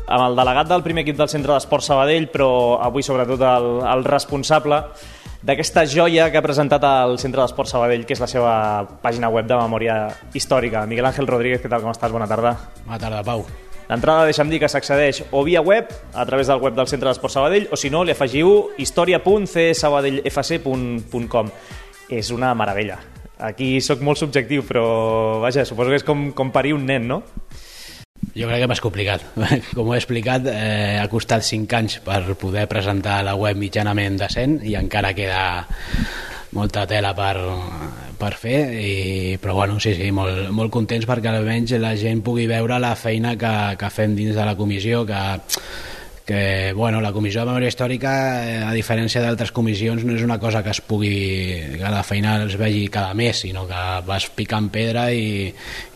Amb el delegat del primer equip del Centre d'Esport Sabadell, però avui sobretot el responsable d'aquesta joia que ha presentat el Centre d'Esport Sabadell, que és la seva pàgina web de memòria històrica. Miguel Ángel Rodríguez, què tal, com estàs? Bona tarda. Bona tarda, Pau. L'entrada, deixa'm dir que s'accedeix o via web, a través del web del Centre d'Esport Sabadell, o si no, li afegiu historia.csabadellfc.com. És una meravella. Aquí sóc molt subjectiu, però vaja, suposo que és com parir un nen, no? Jo crec que m'has complicat. Com ho he explicat, ha costat 5 anys per poder presentar la web mitjanament decent i encara queda molta tela per fer, però bueno, sí, molt contents perquè almenys la gent pugui veure la feina que fem dins de la comissió, que bueno, la comissió de memòria històrica, a diferència d'altres comissions, no és una cosa que la feina es vegi cada mes, sinó que vas picant pedra i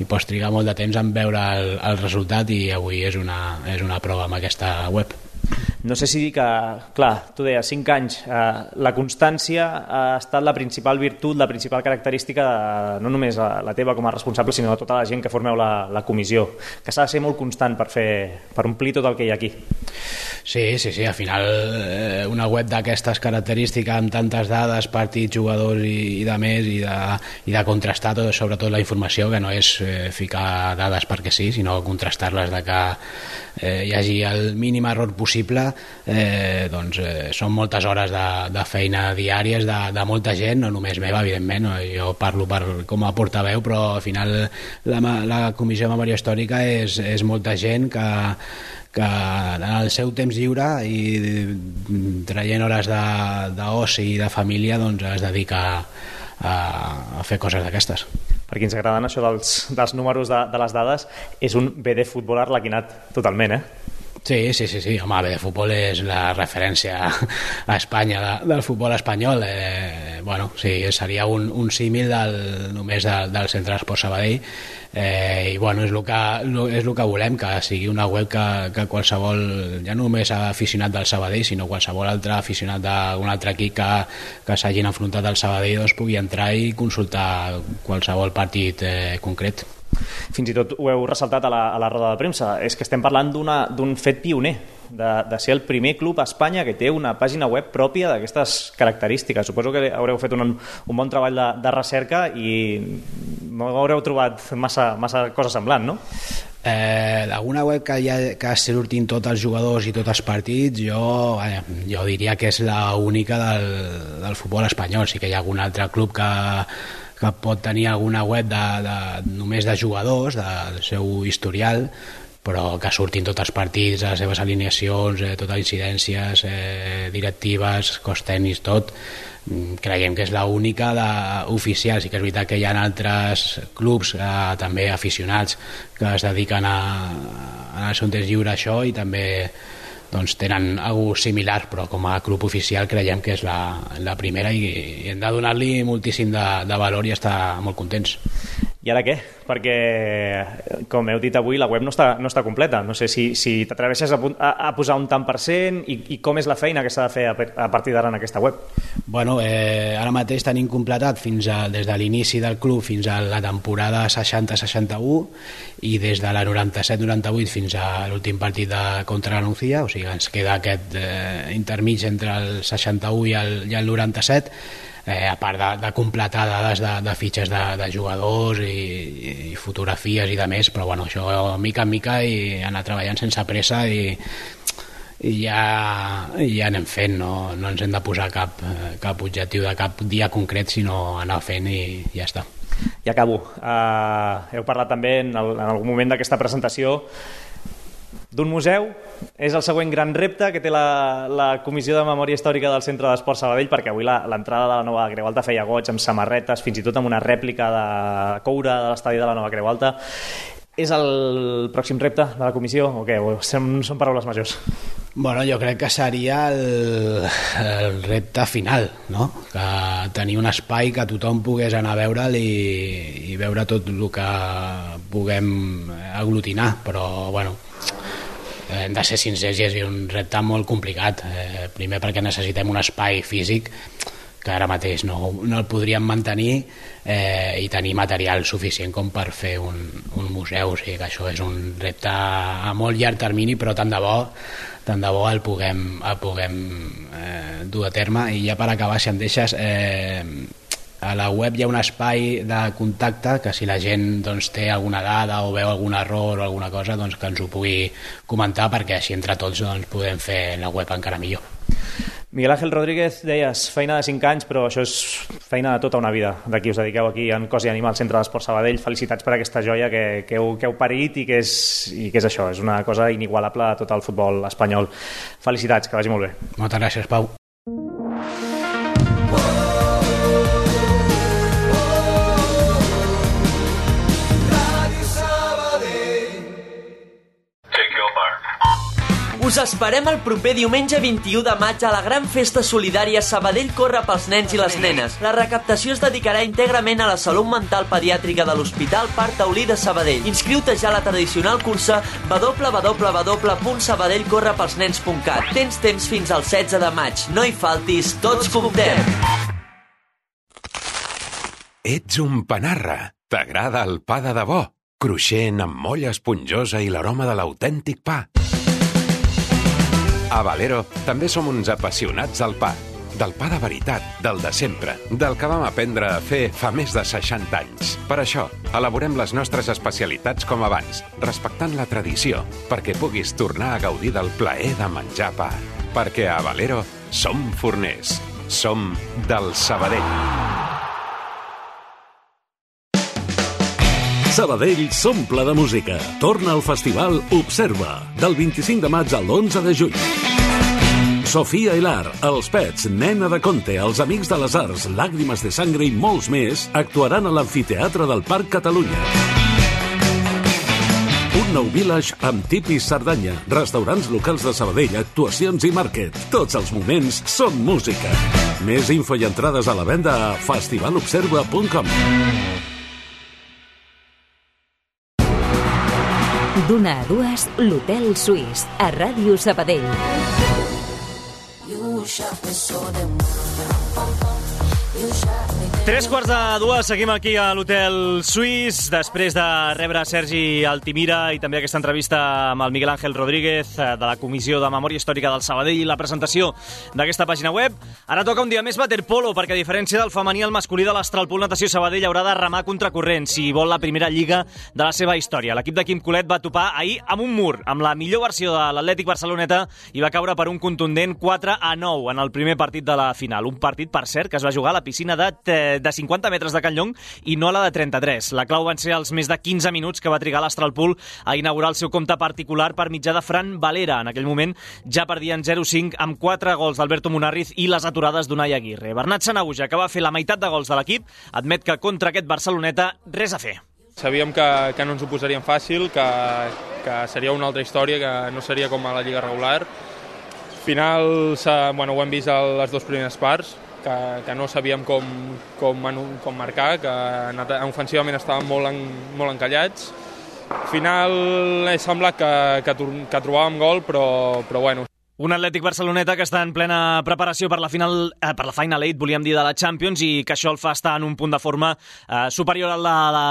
pots trigar molt de temps en veure el resultat, i avui és una prova amb aquesta web. No sé si dir que, clar, tu deies 5 anys, la constància ha estat la principal virtut, la principal característica no només la teva com a responsable, sinó de tota la gent que formeu la comissió, que s'ha de ser molt constant per omplir tot el que hi ha aquí. Sí, al final una web d'aquestes característiques amb tantes dades, partits, jugadors i de més, i de contrastar sobretot la informació, que no és ficar dades perquè sí, sinó contrastar-les, de que hi hagi el mínim error possible. Doncs són moltes hores de feina diàries de molta gent, no només meva, evidentment, jo parlo com a portaveu, però al final la Comissió de Memòria Històrica és molta gent que en el seu temps lliure i traient hores d'oci i de família, doncs es dedica a fer coses d'aquestes. Per qui ens agraden això dels números de les dades, és un BD futbol arlequinat totalment, Sí, home, BD Futbol és la referència a Espanya del futbol espanyol. Bueno, sí, seria un símil només del Centre d'Esport Sabadell, i bueno, és el que volem, que sigui una web que qualsevol, ja no només aficionat del Sabadell, sinó qualsevol altre aficionat d'un altre equip que s'hagin enfrontat al Sabadell, doncs pugui entrar i consultar qualsevol partit concret. Fins i tot ho heu ressaltat a la roda de premsa, és que estem parlant d'un fet pioner, de ser el primer club a Espanya que té una pàgina web pròpia d'aquestes característiques. Suposo que haureu fet un bon treball de recerca i no haureu trobat massa cosa semblant, no? Alguna web que surtin tots els jugadors i tots els partits, jo diria que és l'única del futbol espanyol. Sí que hi ha algun altre club que pot tenir alguna web només de jugadors, del seu historial, però que surtin tots els partits, les seves alineacions, totes les incidències, directives, cos tècnics, tot. Creiem que és l'única oficial. Sí que és veritat que hi ha altres clubs, també aficionats, que es dediquen en el seu temps lliure a això i també doncs tenen alguna cosa similar, però com a club oficial creiem que és la primera i hem de donar-li moltíssim de valor i estar molt contents. I ara què? Perquè, com heu dit avui, la web no està completa. No sé si t'atreveixes a posar un tant % i com és la feina que s'ha de fer a partir d'ara en aquesta web. Bueno, ara mateix tenim completat des de l'inici del club fins a la temporada 60-61 i des de la 97-98 fins a l'últim partit contra la Nucía, o sigui, ens queda aquest intermig entre el 61 i el 97, a part de completar dades de fitxes de jugadors i fotografies i de més, però bueno, això mica en mica i anar treballant sense pressa i ja anem fent, no ens hem de posar cap objectiu de cap dia concret, sinó anar fent i ja està. I acabo. Heu parlat també en algun moment d'aquesta presentació d'un museu. És el següent gran repte que té la Comissió de Memòria Històrica del Centre d'Esport Sabadell, perquè avui l'entrada de la nova Creu Alta feia goig amb samarretes, fins i tot amb una rèplica de coure de l'estadi de la nova Creu Alta. És el pròxim repte de la comissió o què? Són paraules majors? Bueno, jo crec que seria el repte final, no? Que tenir un espai que tothom pogués anar a veure'l i veure tot el que puguem aglutinar, però bueno, hem de ser sincers i és un repte molt complicat. Primer perquè necessitem un espai físic que ara mateix no el podríem mantenir i tenir material suficient com per fer un museu. O sigui que això és un repte a molt llarg termini, però tant de bo el puguem dur a terme. I ja per acabar, si em deixes, A la web hi ha un espai de contacte que si la gent doncs, té alguna dada o veu algun error o alguna cosa doncs, que ens ho pugui comentar, perquè així entre tots doncs, podem fer la web encara millor. Miguel Ángel Rodríguez, deies, feina de 5 anys, però això és feina de tota una vida, de qui us dediqueu aquí en Cos i Animal, Centre d'Esport Sabadell. Felicitats per aquesta joia que heu parit i que és això, és una cosa inigualable a tot el futbol espanyol. Felicitats, que vagi molt bé. Moltes gràcies, Pau. Us esperem el proper diumenge 21 de maig a la gran festa solidària Sabadell corre pels nens i les nenes. La recaptació es dedicarà íntegrament a la salut mental pediàtrica de l'Hospital Parc Taulí de Sabadell. Inscriu-te ja a la tradicional cursa www.sabadellcorrepelsnens.cat. Tens temps fins al 16 de maig. No hi faltis, tots comptem! Ets un panarra. T'agrada el pa de debò? Cruixent, amb molla esponjosa i l'aroma de l'autèntic pa. A Valero també som uns apassionats del pa. Del pa de veritat, del de sempre, del que vam aprendre a fer fa més de 60 anys. Per això, elaborem les nostres especialitats com abans, respectant la tradició, perquè puguis tornar a gaudir del plaer de menjar pa. Perquè a Valero som forners. Som del Sabadell. Sabadell s'omple de música. Torna al festival Observa, del 25 de maig al 11 de juny. Sofia Hilar, Els Pets, Nena de Conte, Els Amics de les Arts, Làgrimes de Sangre i molts més actuaran a l'Amfiteatre del Parc Catalunya. Un nou village amb tipis Cerdanya, restaurants locals de Sabadell, actuacions i màrquet. Tots els moments són música. Més info i entrades a la venda a festivalobserva.com. D'una a dues, l'Hotel Suís, a Ràdio Sabadell. 3:45, seguim aquí a l'Hotel Suís, després de rebre Sergi Altimira i també aquesta entrevista amb el Miguel Ángel Rodríguez de la Comissió de Memòria Històrica del Sabadell i la presentació d'aquesta pàgina web. Ara toca un dia més waterpolo, perquè a diferència del femení, el masculí de l'Astralpool Natació Sabadell haurà de remar contracorrent si vol la primera lliga de la seva història. L'equip de Quim Colet va topar ahir amb un mur, amb la millor versió de l'Atlètic Barceloneta, i va caure per un contundent 4-9 en el primer partit de la final. Un partit, per cert, que es va jugar a la piscina de 50 metres de Can Llong i no a la de 33. La clau van ser els més de 15 minuts que va trigar l'Astralpool a inaugurar el seu compte particular per mitjà de Fran Valera. En aquell moment ja perdien 0-5 amb 4 gols d'Alberto Munarriz i les aturades d'Unai Aguirre. Bernat Sanahuja, que va fer la meitat de gols de l'equip, admet que contra aquest Barceloneta res a fer. Sabíem que no ens ho posaríem fàcil, que seria una altra història, que no seria com a la Lliga regular. Al final, ho hem vist a les dues primeres parts, que no sabíem com marcar, que ofensivament estàvem molt encallats. Al final he semblat que trobàvem gol, però bueno. Un Atlètic Barceloneta que està en plena preparació per la Final 8, volíem dir, de la Champions, i que això el fa estar en un punt de forma superior a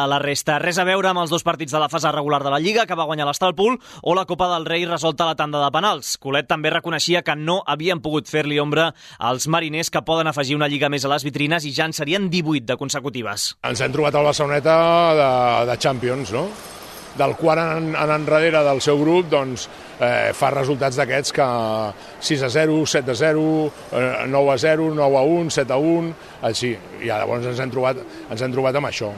la resta. Res a veure amb els dos partits de la fase regular de la Lliga, que va guanyar l'Astralpool, o la Copa del Rei resolta a la tanda de penals. Colet també reconeixia que no havien pogut fer-li ombra als mariners, que poden afegir una Lliga més a les vitrines i ja en serien 18 de consecutives. Ens hem trobat al Barceloneta de Champions, no? Del qual en enrere del seu grup doncs, fa resultats d'aquests que 6-0, 7-0, 9-0, 9-1, 7-1, així. I llavors ens hem trobat amb això.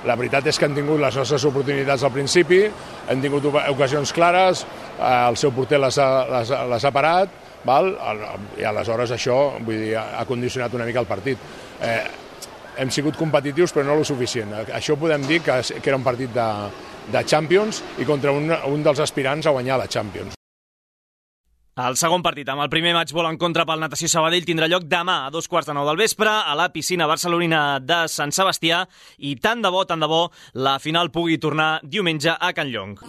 La veritat és que hem tingut les nostres oportunitats al principi, hem tingut ocasions clares, el seu porter les ha parat, val? I aleshores això ha condicionat una mica el partit. Hem sigut competitius però no lo suficient. Això podem dir que era un partit de Champions i contra un dels aspirants a guanyar la Champions. El segon partit, amb el primer match ball en contra pel Natació Sabadell, tindrà lloc demà a 2:15 del vespre a la piscina barcelonina de Sant Sebastià, i tant de bo, la final pugui tornar diumenge a Can Llong.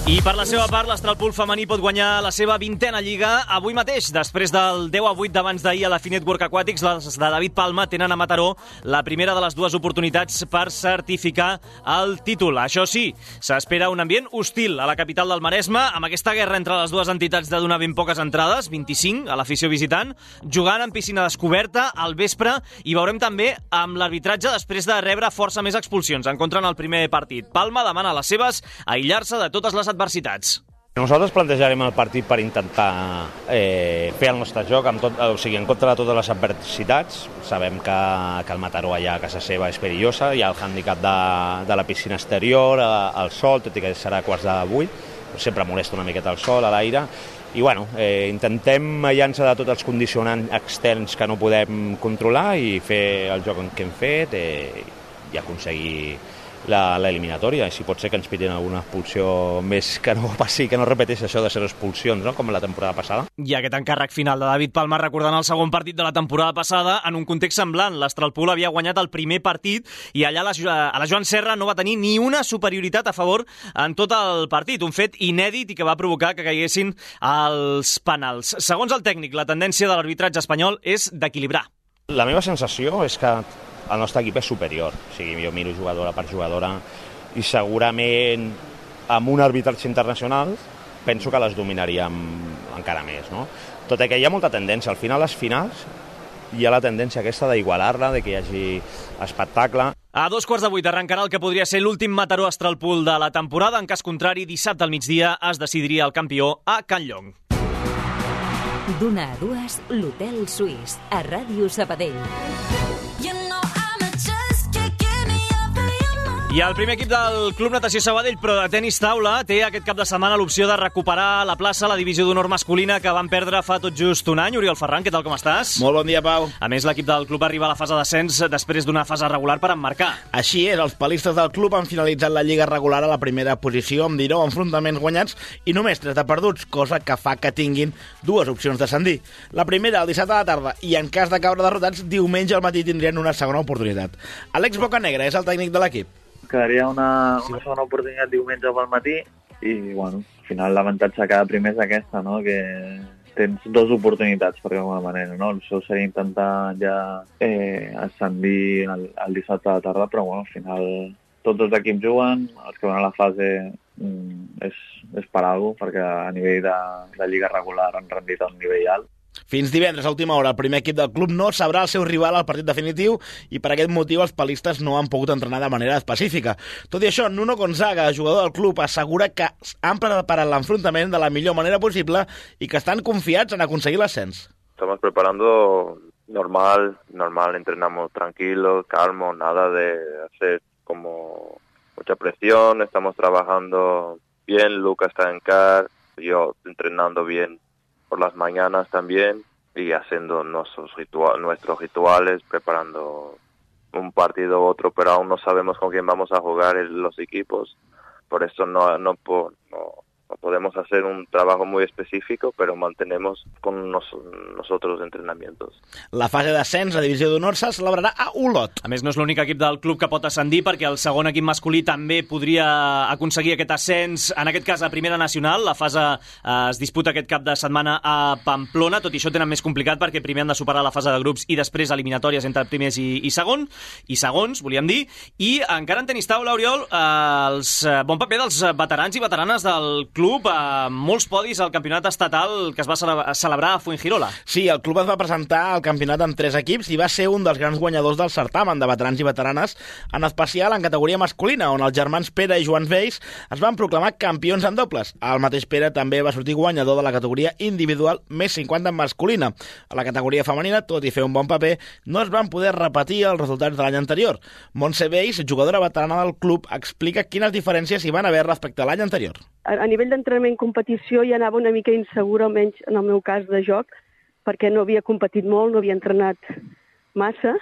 I per la seva part, l'Astralpool femení pot guanyar la seva 20a Lliga avui mateix. Després del 10-8 d'abans d'ahir a la Finet Work Aquatics, les de David Palma tenen a Mataró la primera de les dues oportunitats per certificar el títol. Això sí, s'espera un ambient hostil a la capital del Maresme, amb aquesta guerra entre les dues entitats de donar ben poques entrades, 25 a l'afició visitant, jugant en piscina descoberta al vespre, i veurem també amb l'arbitratge després de rebre força més expulsions en contra en el primer partit. Palma demana a les seves aïllar-se de totes les adversitats. Nosaltres plantejarem el partit per intentar fer el nostre joc en contra de totes les adversitats. Sabem que el Mataró allà a casa seva és perillosa, hi ha el hàndicap de la piscina exterior, el sol, tot i que serà quarts de 8, sempre molesta una miqueta el sol a l'aire, i bueno, intentem aïllar-nos de tots els condicionants externs que no podem controlar i fer el joc que hem fet i aconseguir l'eliminatòria, i si pot ser que ens pitin alguna expulsió més, que no passi, que no repeteix això de ser expulsions, no? Com la temporada passada. I aquest encàrrec final de David Palma recordant el segon partit de la temporada passada en un context semblant. L'Astralpool havia guanyat el primer partit i allà a la Joan Serra no va tenir ni una superioritat a favor en tot el partit, un fet inèdit i que va provocar que caiguessin els penals. Segons el tècnic, la tendència de l'arbitratge espanyol és d'equilibrar. La meva sensació és que el nostre equip és superior, o sigui, jo miro jugadora per jugadora i segurament amb un arbitratge internacional penso que les dominaríem encara més, no? Tot i que hi ha molta tendència, al final les finals hi ha la tendència aquesta d'igualar-la, de que hi hagi espectacle. A 2:15 arrencarà el que podria ser l'últim Mataró Astralpool de la temporada. En cas contrari, dissabte al migdia es decidiria el campió a Can Llong. D'una a dues, l'Hotel Suís, a Ràdio Sabadell. I el primer equip del Club Natació Sabadell, però de tenis taula, té aquest cap de setmana l'opció de recuperar la plaça a la divisió d'honor masculina que van perdre fa tot just un any. Oriol Ferran, què tal, com estàs? Molt bon dia, Pau. A més, l'equip del club arriba a la fase d'ascens després d'una fase regular per emmarcar. Així és, els palistes del club han finalitzat la lliga regular a la primera posició amb 19 enfrontaments guanyats i només 3 de perduts, cosa que fa que tinguin dues opcions d'ascendir. La primera, el dissabte a la tarda, i en cas de caure derrotats, diumenge al matí tindrien una segona oportunitat. Àlex Bocanegra és el tècnic de l'equip. Quedaria una segona oportunitat diumenge pel matí i, bueno, al final l'avantatge de cada primer és aquesta, no? Que tens dues oportunitats, per alguna manera, no? El seu seria intentar ja ascendir el dissabte a la tarda, però, bueno, al final tots els equips juguen, els que van a la fase és per alguna cosa, perquè a nivell de lliga regular han rendit a un nivell alt. Fins divendres, a última hora, el primer equip del club no sabrà el seu rival al partit definitiu i per aquest motiu els palistes no han pogut entrenar de manera específica. Tot i això, Nuno Gonzaga, jugador del club, assegura que han preparat l'enfrontament de la millor manera possible i que estan confiats en aconseguir l'ascens. Estamos preparando normal, entrenamos tranquilos, calmos, nada de hacer como mucha presión, estamos trabajando bien, Luca está en CAR, yo entrenando bien por las mañanas también y haciendo nuestros rituales, preparando un partido u otro, pero aún no sabemos con quién vamos a jugar los equipos, por eso no podemos hacer un trabajo muy específico, pero mantenemos con nosotros entrenamientos. La fase d'ascens a divisió d'honor se celebrarà a Olot. A més, no és l'únic equip del club que pot ascendir, perquè el segon equip masculí també podria aconseguir aquest ascens, en aquest cas a Primera Nacional. La fase es disputa aquest cap de setmana a Pamplona, tot i això tenen més complicat perquè primer han de superar la fase de grups i després eliminatòries entre primers i segons, volíem dir. I encara en tenis taula, Oriol, bon paper dels veterans i veteranes del club, molts podis al campionat estatal que es va celebrar a Fuengirola. Sí, el club es va presentar al campionat amb 3 equips i va ser un dels grans guanyadors del certamen de veterans i veteranes, en especial en categoria masculina, on els germans Pere i Joan Vells es van proclamar campions en dobles. El mateix Pere també va sortir guanyador de la categoria individual més 50 en masculina. A la categoria femenina, tot i fer un bon paper, no es van poder repetir els resultats de l'any anterior. Montse Vells, jugadora veterana del club, explica quines diferències hi van haver respecte a l'any anterior. A nivell d'entrenament i competició ja anava una mica insegura, almenys en el meu cas de joc, perquè no havia competit molt, no havia entrenat massa,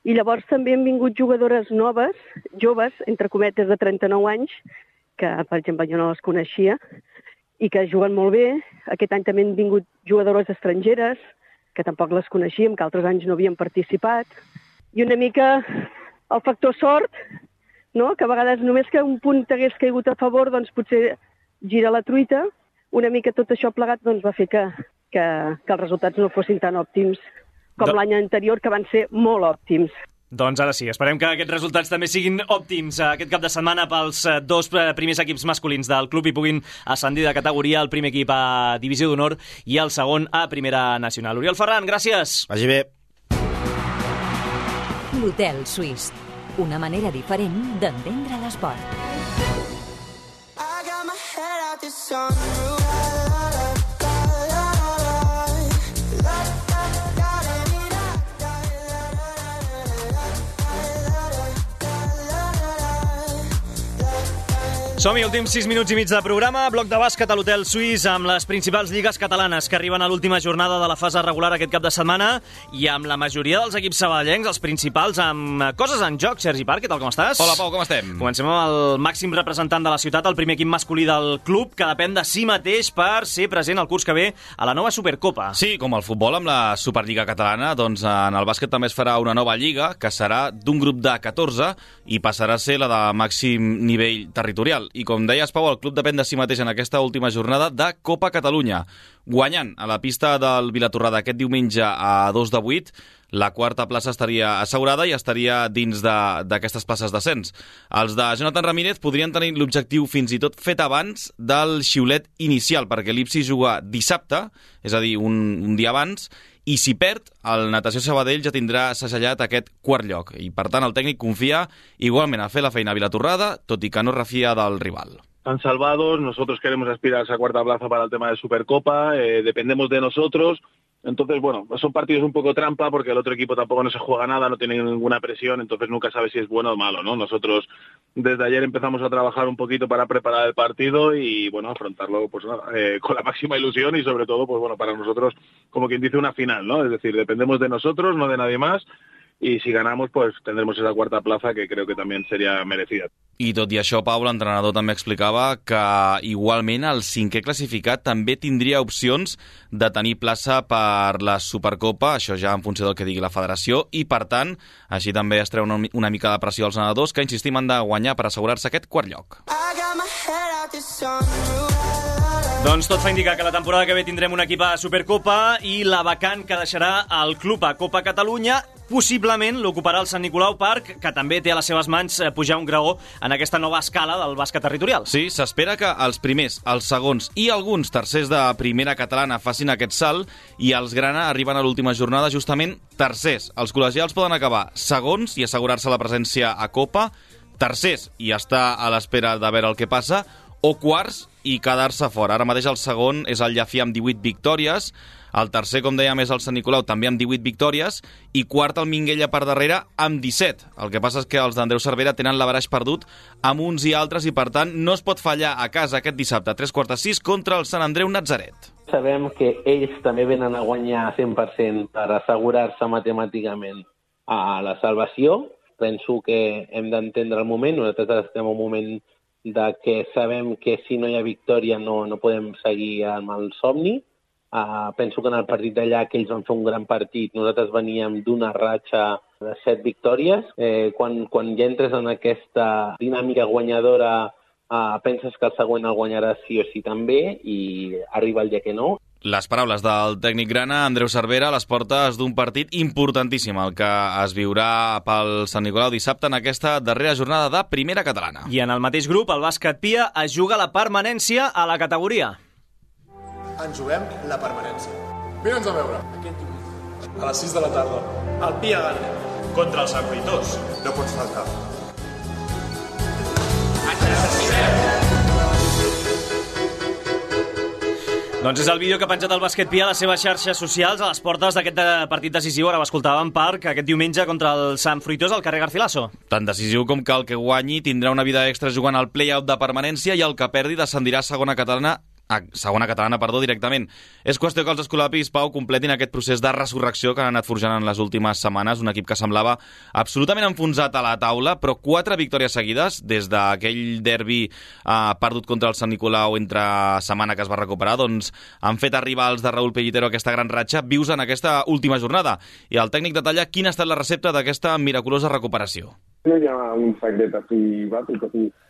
i llavors també han vingut jugadores noves, joves, entre cometes de 39 anys, que per exemple jo no les coneixia, i que juguen molt bé. Aquest any també han vingut jugadores estrangeres, que tampoc les coneixíem, que altres anys no havien participat, i una mica el factor sort, no? Que a vegades només que un punt t'hagués caigut a favor, doncs potser gira la truita, una mica tot això plegat doncs, va fer que els resultats no fossin tan òptims com l'any anterior, que van ser molt òptims. Doncs ara sí, esperem que aquests resultats també siguin òptims aquest cap de setmana pels dos primers equips masculins del club i puguin ascendir de categoria, el primer equip a Divisió d'Honor i el segon a Primera Nacional. Oriol Ferran, gràcies. Vagi bé. L'Hotel Suís, una manera diferent d'entendre l'esport. Som-hi, últims 6 minuts i mig de programa, bloc de bàsquet a l'Hotel Suís amb les principals lligues catalanes que arriben a l'última jornada de la fase regular aquest cap de setmana i amb la majoria dels equips sabadellencs, els principals, amb coses en joc. Sergi Parc, què tal, com estàs? Hola, Pau, com estem? Comencem amb el màxim representant de la ciutat, el primer equip masculí del club, que depèn de si mateix per ser present el curs que ve a la nova Supercopa. Sí, com el futbol amb la Superliga catalana, doncs en el bàsquet també es farà una nova lliga que serà d'un grup de 14 i passarà a ser la de màxim nivell territorial. I com deies, Pau, el club depèn de si mateix en aquesta última jornada de Copa Catalunya. Guanyant a la pista del Vilatorrada aquest diumenge a 2 de 8, la quarta plaça estaria assegurada i estaria dins d'aquestes places d'ascens. Els de Jonathan Ramírez podrien tenir l'objectiu fins i tot fet abans del xiulet inicial, perquè l'Ipsi juga dissabte, és a dir, un dia abans, i si perd, el Natació Sabadell ja tindrà segellat aquest quart lloc. I, per tant, el tècnic confia igualment a fer la feina a Vilatorrada, tot i que no refia del rival. Están salvados, nosotros queremos aspirar a esa cuarta plaza para el tema de Supercopa, dependemos de nosotros. Entonces, bueno, son partidos un poco trampa porque el otro equipo tampoco no se juega nada, no tiene ninguna presión, entonces nunca sabe si es bueno o malo, ¿no? Nosotros desde ayer empezamos a trabajar un poquito para preparar el partido y, bueno, afrontarlo pues nada, con la máxima ilusión y sobre todo, pues bueno, para nosotros, como quien dice, una final, ¿no? Es decir, dependemos de nosotros, no de nadie más. Y si ganamos, pues tendremos esa cuarta plaza que creo que también sería merecida. I tot i això, Pau, l'entrenador també explicava que igualment el cinquè classificat també tindria opcions de tenir plaça per la Supercopa, això ja en funció del que digui la federació, i per tant, així també es treu una mica de pressió als nedadors, que insistim han de guanyar per assegurar-se aquest quart lloc. Doncs tot fa indicar que la temporada que ve tindrem un equip a Supercopa i la vacant que deixarà el club a Copa Catalunya possiblement l'ocuparà el Sant Nicolau Park, que també té a les seves mans pujar un graó en aquesta nova escala del bàsquet territorial. Sí, s'espera que els primers, els segons i alguns tercers de primera catalana facin aquest salt i els grana arriben a l'última jornada justament tercers. Els col·legials poden acabar segons i assegurar-se la presència a Copa, tercers i estar a l'espera de veure el que passa, o quarts i quedar-se fora. Ara mateix el segon és el Llafí amb 18 victòries, el tercer, com dèiem, és el Sant Nicolau, també amb 18 victòries, i quart el Minguella per darrere amb 17. El que passa és que els d'Andreu Cervera tenen l'averaix perdut amb uns i altres i, per tant, no es pot fallar a casa aquest dissabte a 3:45 contra el Sant Andreu Natzaret. Sabem que ells també venen a guanyar 100% per assegurar-se matemàticament a la salvació. Penso que hem d'entendre el moment. Nosaltres estem en un moment de que sabem que si no hi ha victòria no podem seguir amb el somni. Penso que en el partit d'allà que ells van fer un gran partit, nosaltres veníem d'una ratxa de 7 victòries. Quan ja entres en aquesta dinàmica guanyadora, penses que el següent el guanyarà sí o sí també i arriba el dia que no. Les paraules del tècnic grana, Andreu Cervera, a les portes d'un partit importantíssim, el que es viurà pel Sant Nicolau dissabte en aquesta darrera jornada de primera catalana. I en el mateix grup, el bàsquet Pia es juga la permanència a la categoria. Ens juguem la permanència. Vine'ns a veure. Aquest diumenge. A les 6 de la tarda. El Pia Gana. Contra els Sant Fruitós. No pots faltar. Ens necessitem. Doncs és el vídeo que ha penjat el bàsquet Pia a les seves xarxes socials a les portes d'aquest partit decisiu. Ara ho escoltàvem, Parc, aquest diumenge contra el Sant Fruitós al carrer Garcilaso. Tan decisiu com que el que guanyi tindrà una vida extra jugant al play-out de permanència i el que perdi descendirà a segona catalana directament. És qüestió que els escolapis, Pau, completin aquest procés de resurrecció que han anat forjant en les últimes setmanes, un equip que semblava absolutament enfonsat a la taula, però 4 victòries seguides des d'aquell derbi perdut contra el Sant Nicolau entre setmana que es va recuperar, doncs han fet arribar els de Raúl Pellitero aquesta gran ratxa vius en aquesta última jornada. I el tècnic detalla quina ha estat la recepta d'aquesta miraculosa recuperació. No hi ha un secret així bàsic,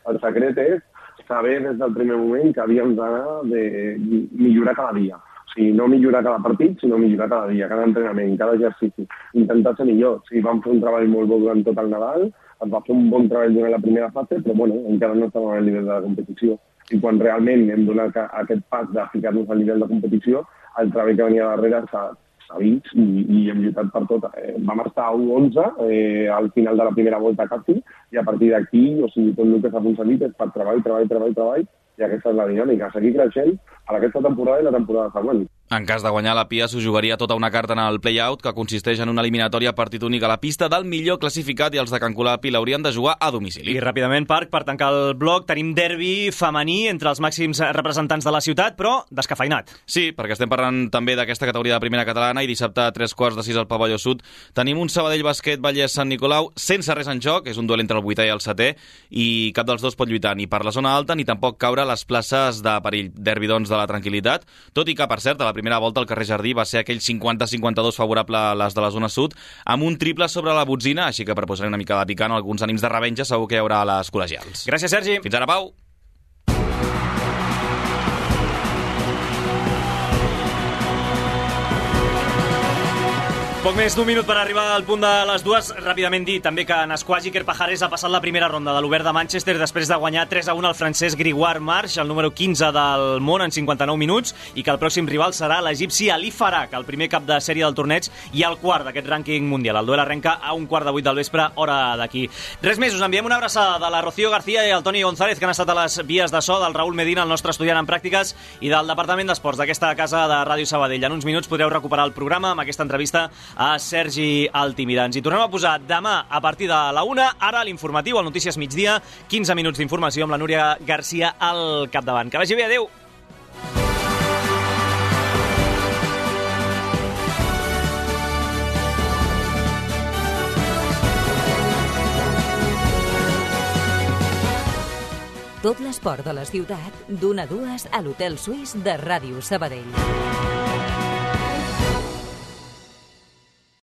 el secret és saber des del primer moment que havíem d'anar de millorar cada dia. O sigui, no millorar cada partit, sinó millorar cada dia, cada entrenament, cada exercici. Intentar ser millor. O sigui, vam fer un treball molt bo durant tot el Nadal, es va fer un bon treball durant la primera fase, però bueno, encara no estàvem al nivell de la competició. I quan realment hem donat aquest pas de ficar-nos al nivell de competició, el treball que venia darrere s'ha vist i hem lluitat per tot. Vam estar a 1-11 al final de la primera volta quasi, i a partir d'aquí, o sigui, tot el que s'ha aconseguit és per treball, i aquesta és la dinàmica, seguir creixent a aquesta temporada i la temporada següent. En cas de guanyar, la Pia s'ho jugaria tota una carta en el play-out, que consisteix en una eliminatòria a partit únic a la pista del millor classificat, i els de Can Colapi l'haurien de jugar a domicili. I ràpidament, Parc, per tancar el bloc, tenim derbi femení entre els màxims representants de la ciutat, però descafeinat. Sí, perquè estem parlant també d'aquesta categoria de primera catalana, i dissabte a 3:45 al Pavelló Sud tenim un Sabadell Bàsquet Vallès Sant Nicolau sense res en joc, és un duel entre el 8è i el 7è, i cap dels dos pot lluitar ni per la zona alta ni tampoc caure a les places de perill. Derbi, doncs, de la tranquil·litat, tot i que, per cert, a la primera volta al carrer Jardí va ser aquell 50-52 favorable a les de la zona sud, amb un triple sobre la botzina, així que per posar una mica de picant alguns ànims de revenja segur que hi haurà a les col·legials. Gràcies, Sergi. Fins ara, Pau. Poc més d'un minut per arribar al punt de les 2. Ràpidament dir també que Nasquagi Kerpajares ha passat la primera ronda de l'Obert de Manchester després de guanyar 3-1 al francès Grégoire March, el número 15 del món en 59 minuts, i que el pròxim rival serà l'egipci Ali Farag, el primer cap de sèrie del torneig i el quart d'aquest rànquing mundial. El duel arrenca a 7:15 del vespre, hora d'aquí. Res més, us enviem una abraçada de la Rocío García i el Toni González, que han estat a les vies de so, del Raül Medina, el nostre estudiant en pràctiques, i del Departament d'Esports d'aquesta casa de Ràdio Sabadell. En uns minuts podreu recuperar el programa amb aquesta entrevista a Sergi Altimira. Ens hi tornem a posar demà a partir de la 1. Ara l'informatiu, al Notícies Migdia, 15 minuts d'informació amb la Núria Garcia al capdavant. Que vagi bé, adeu! Tot l'esport de la ciutat, d'1 a 2 a l'Hotel Suís de Ràdio Sabadell.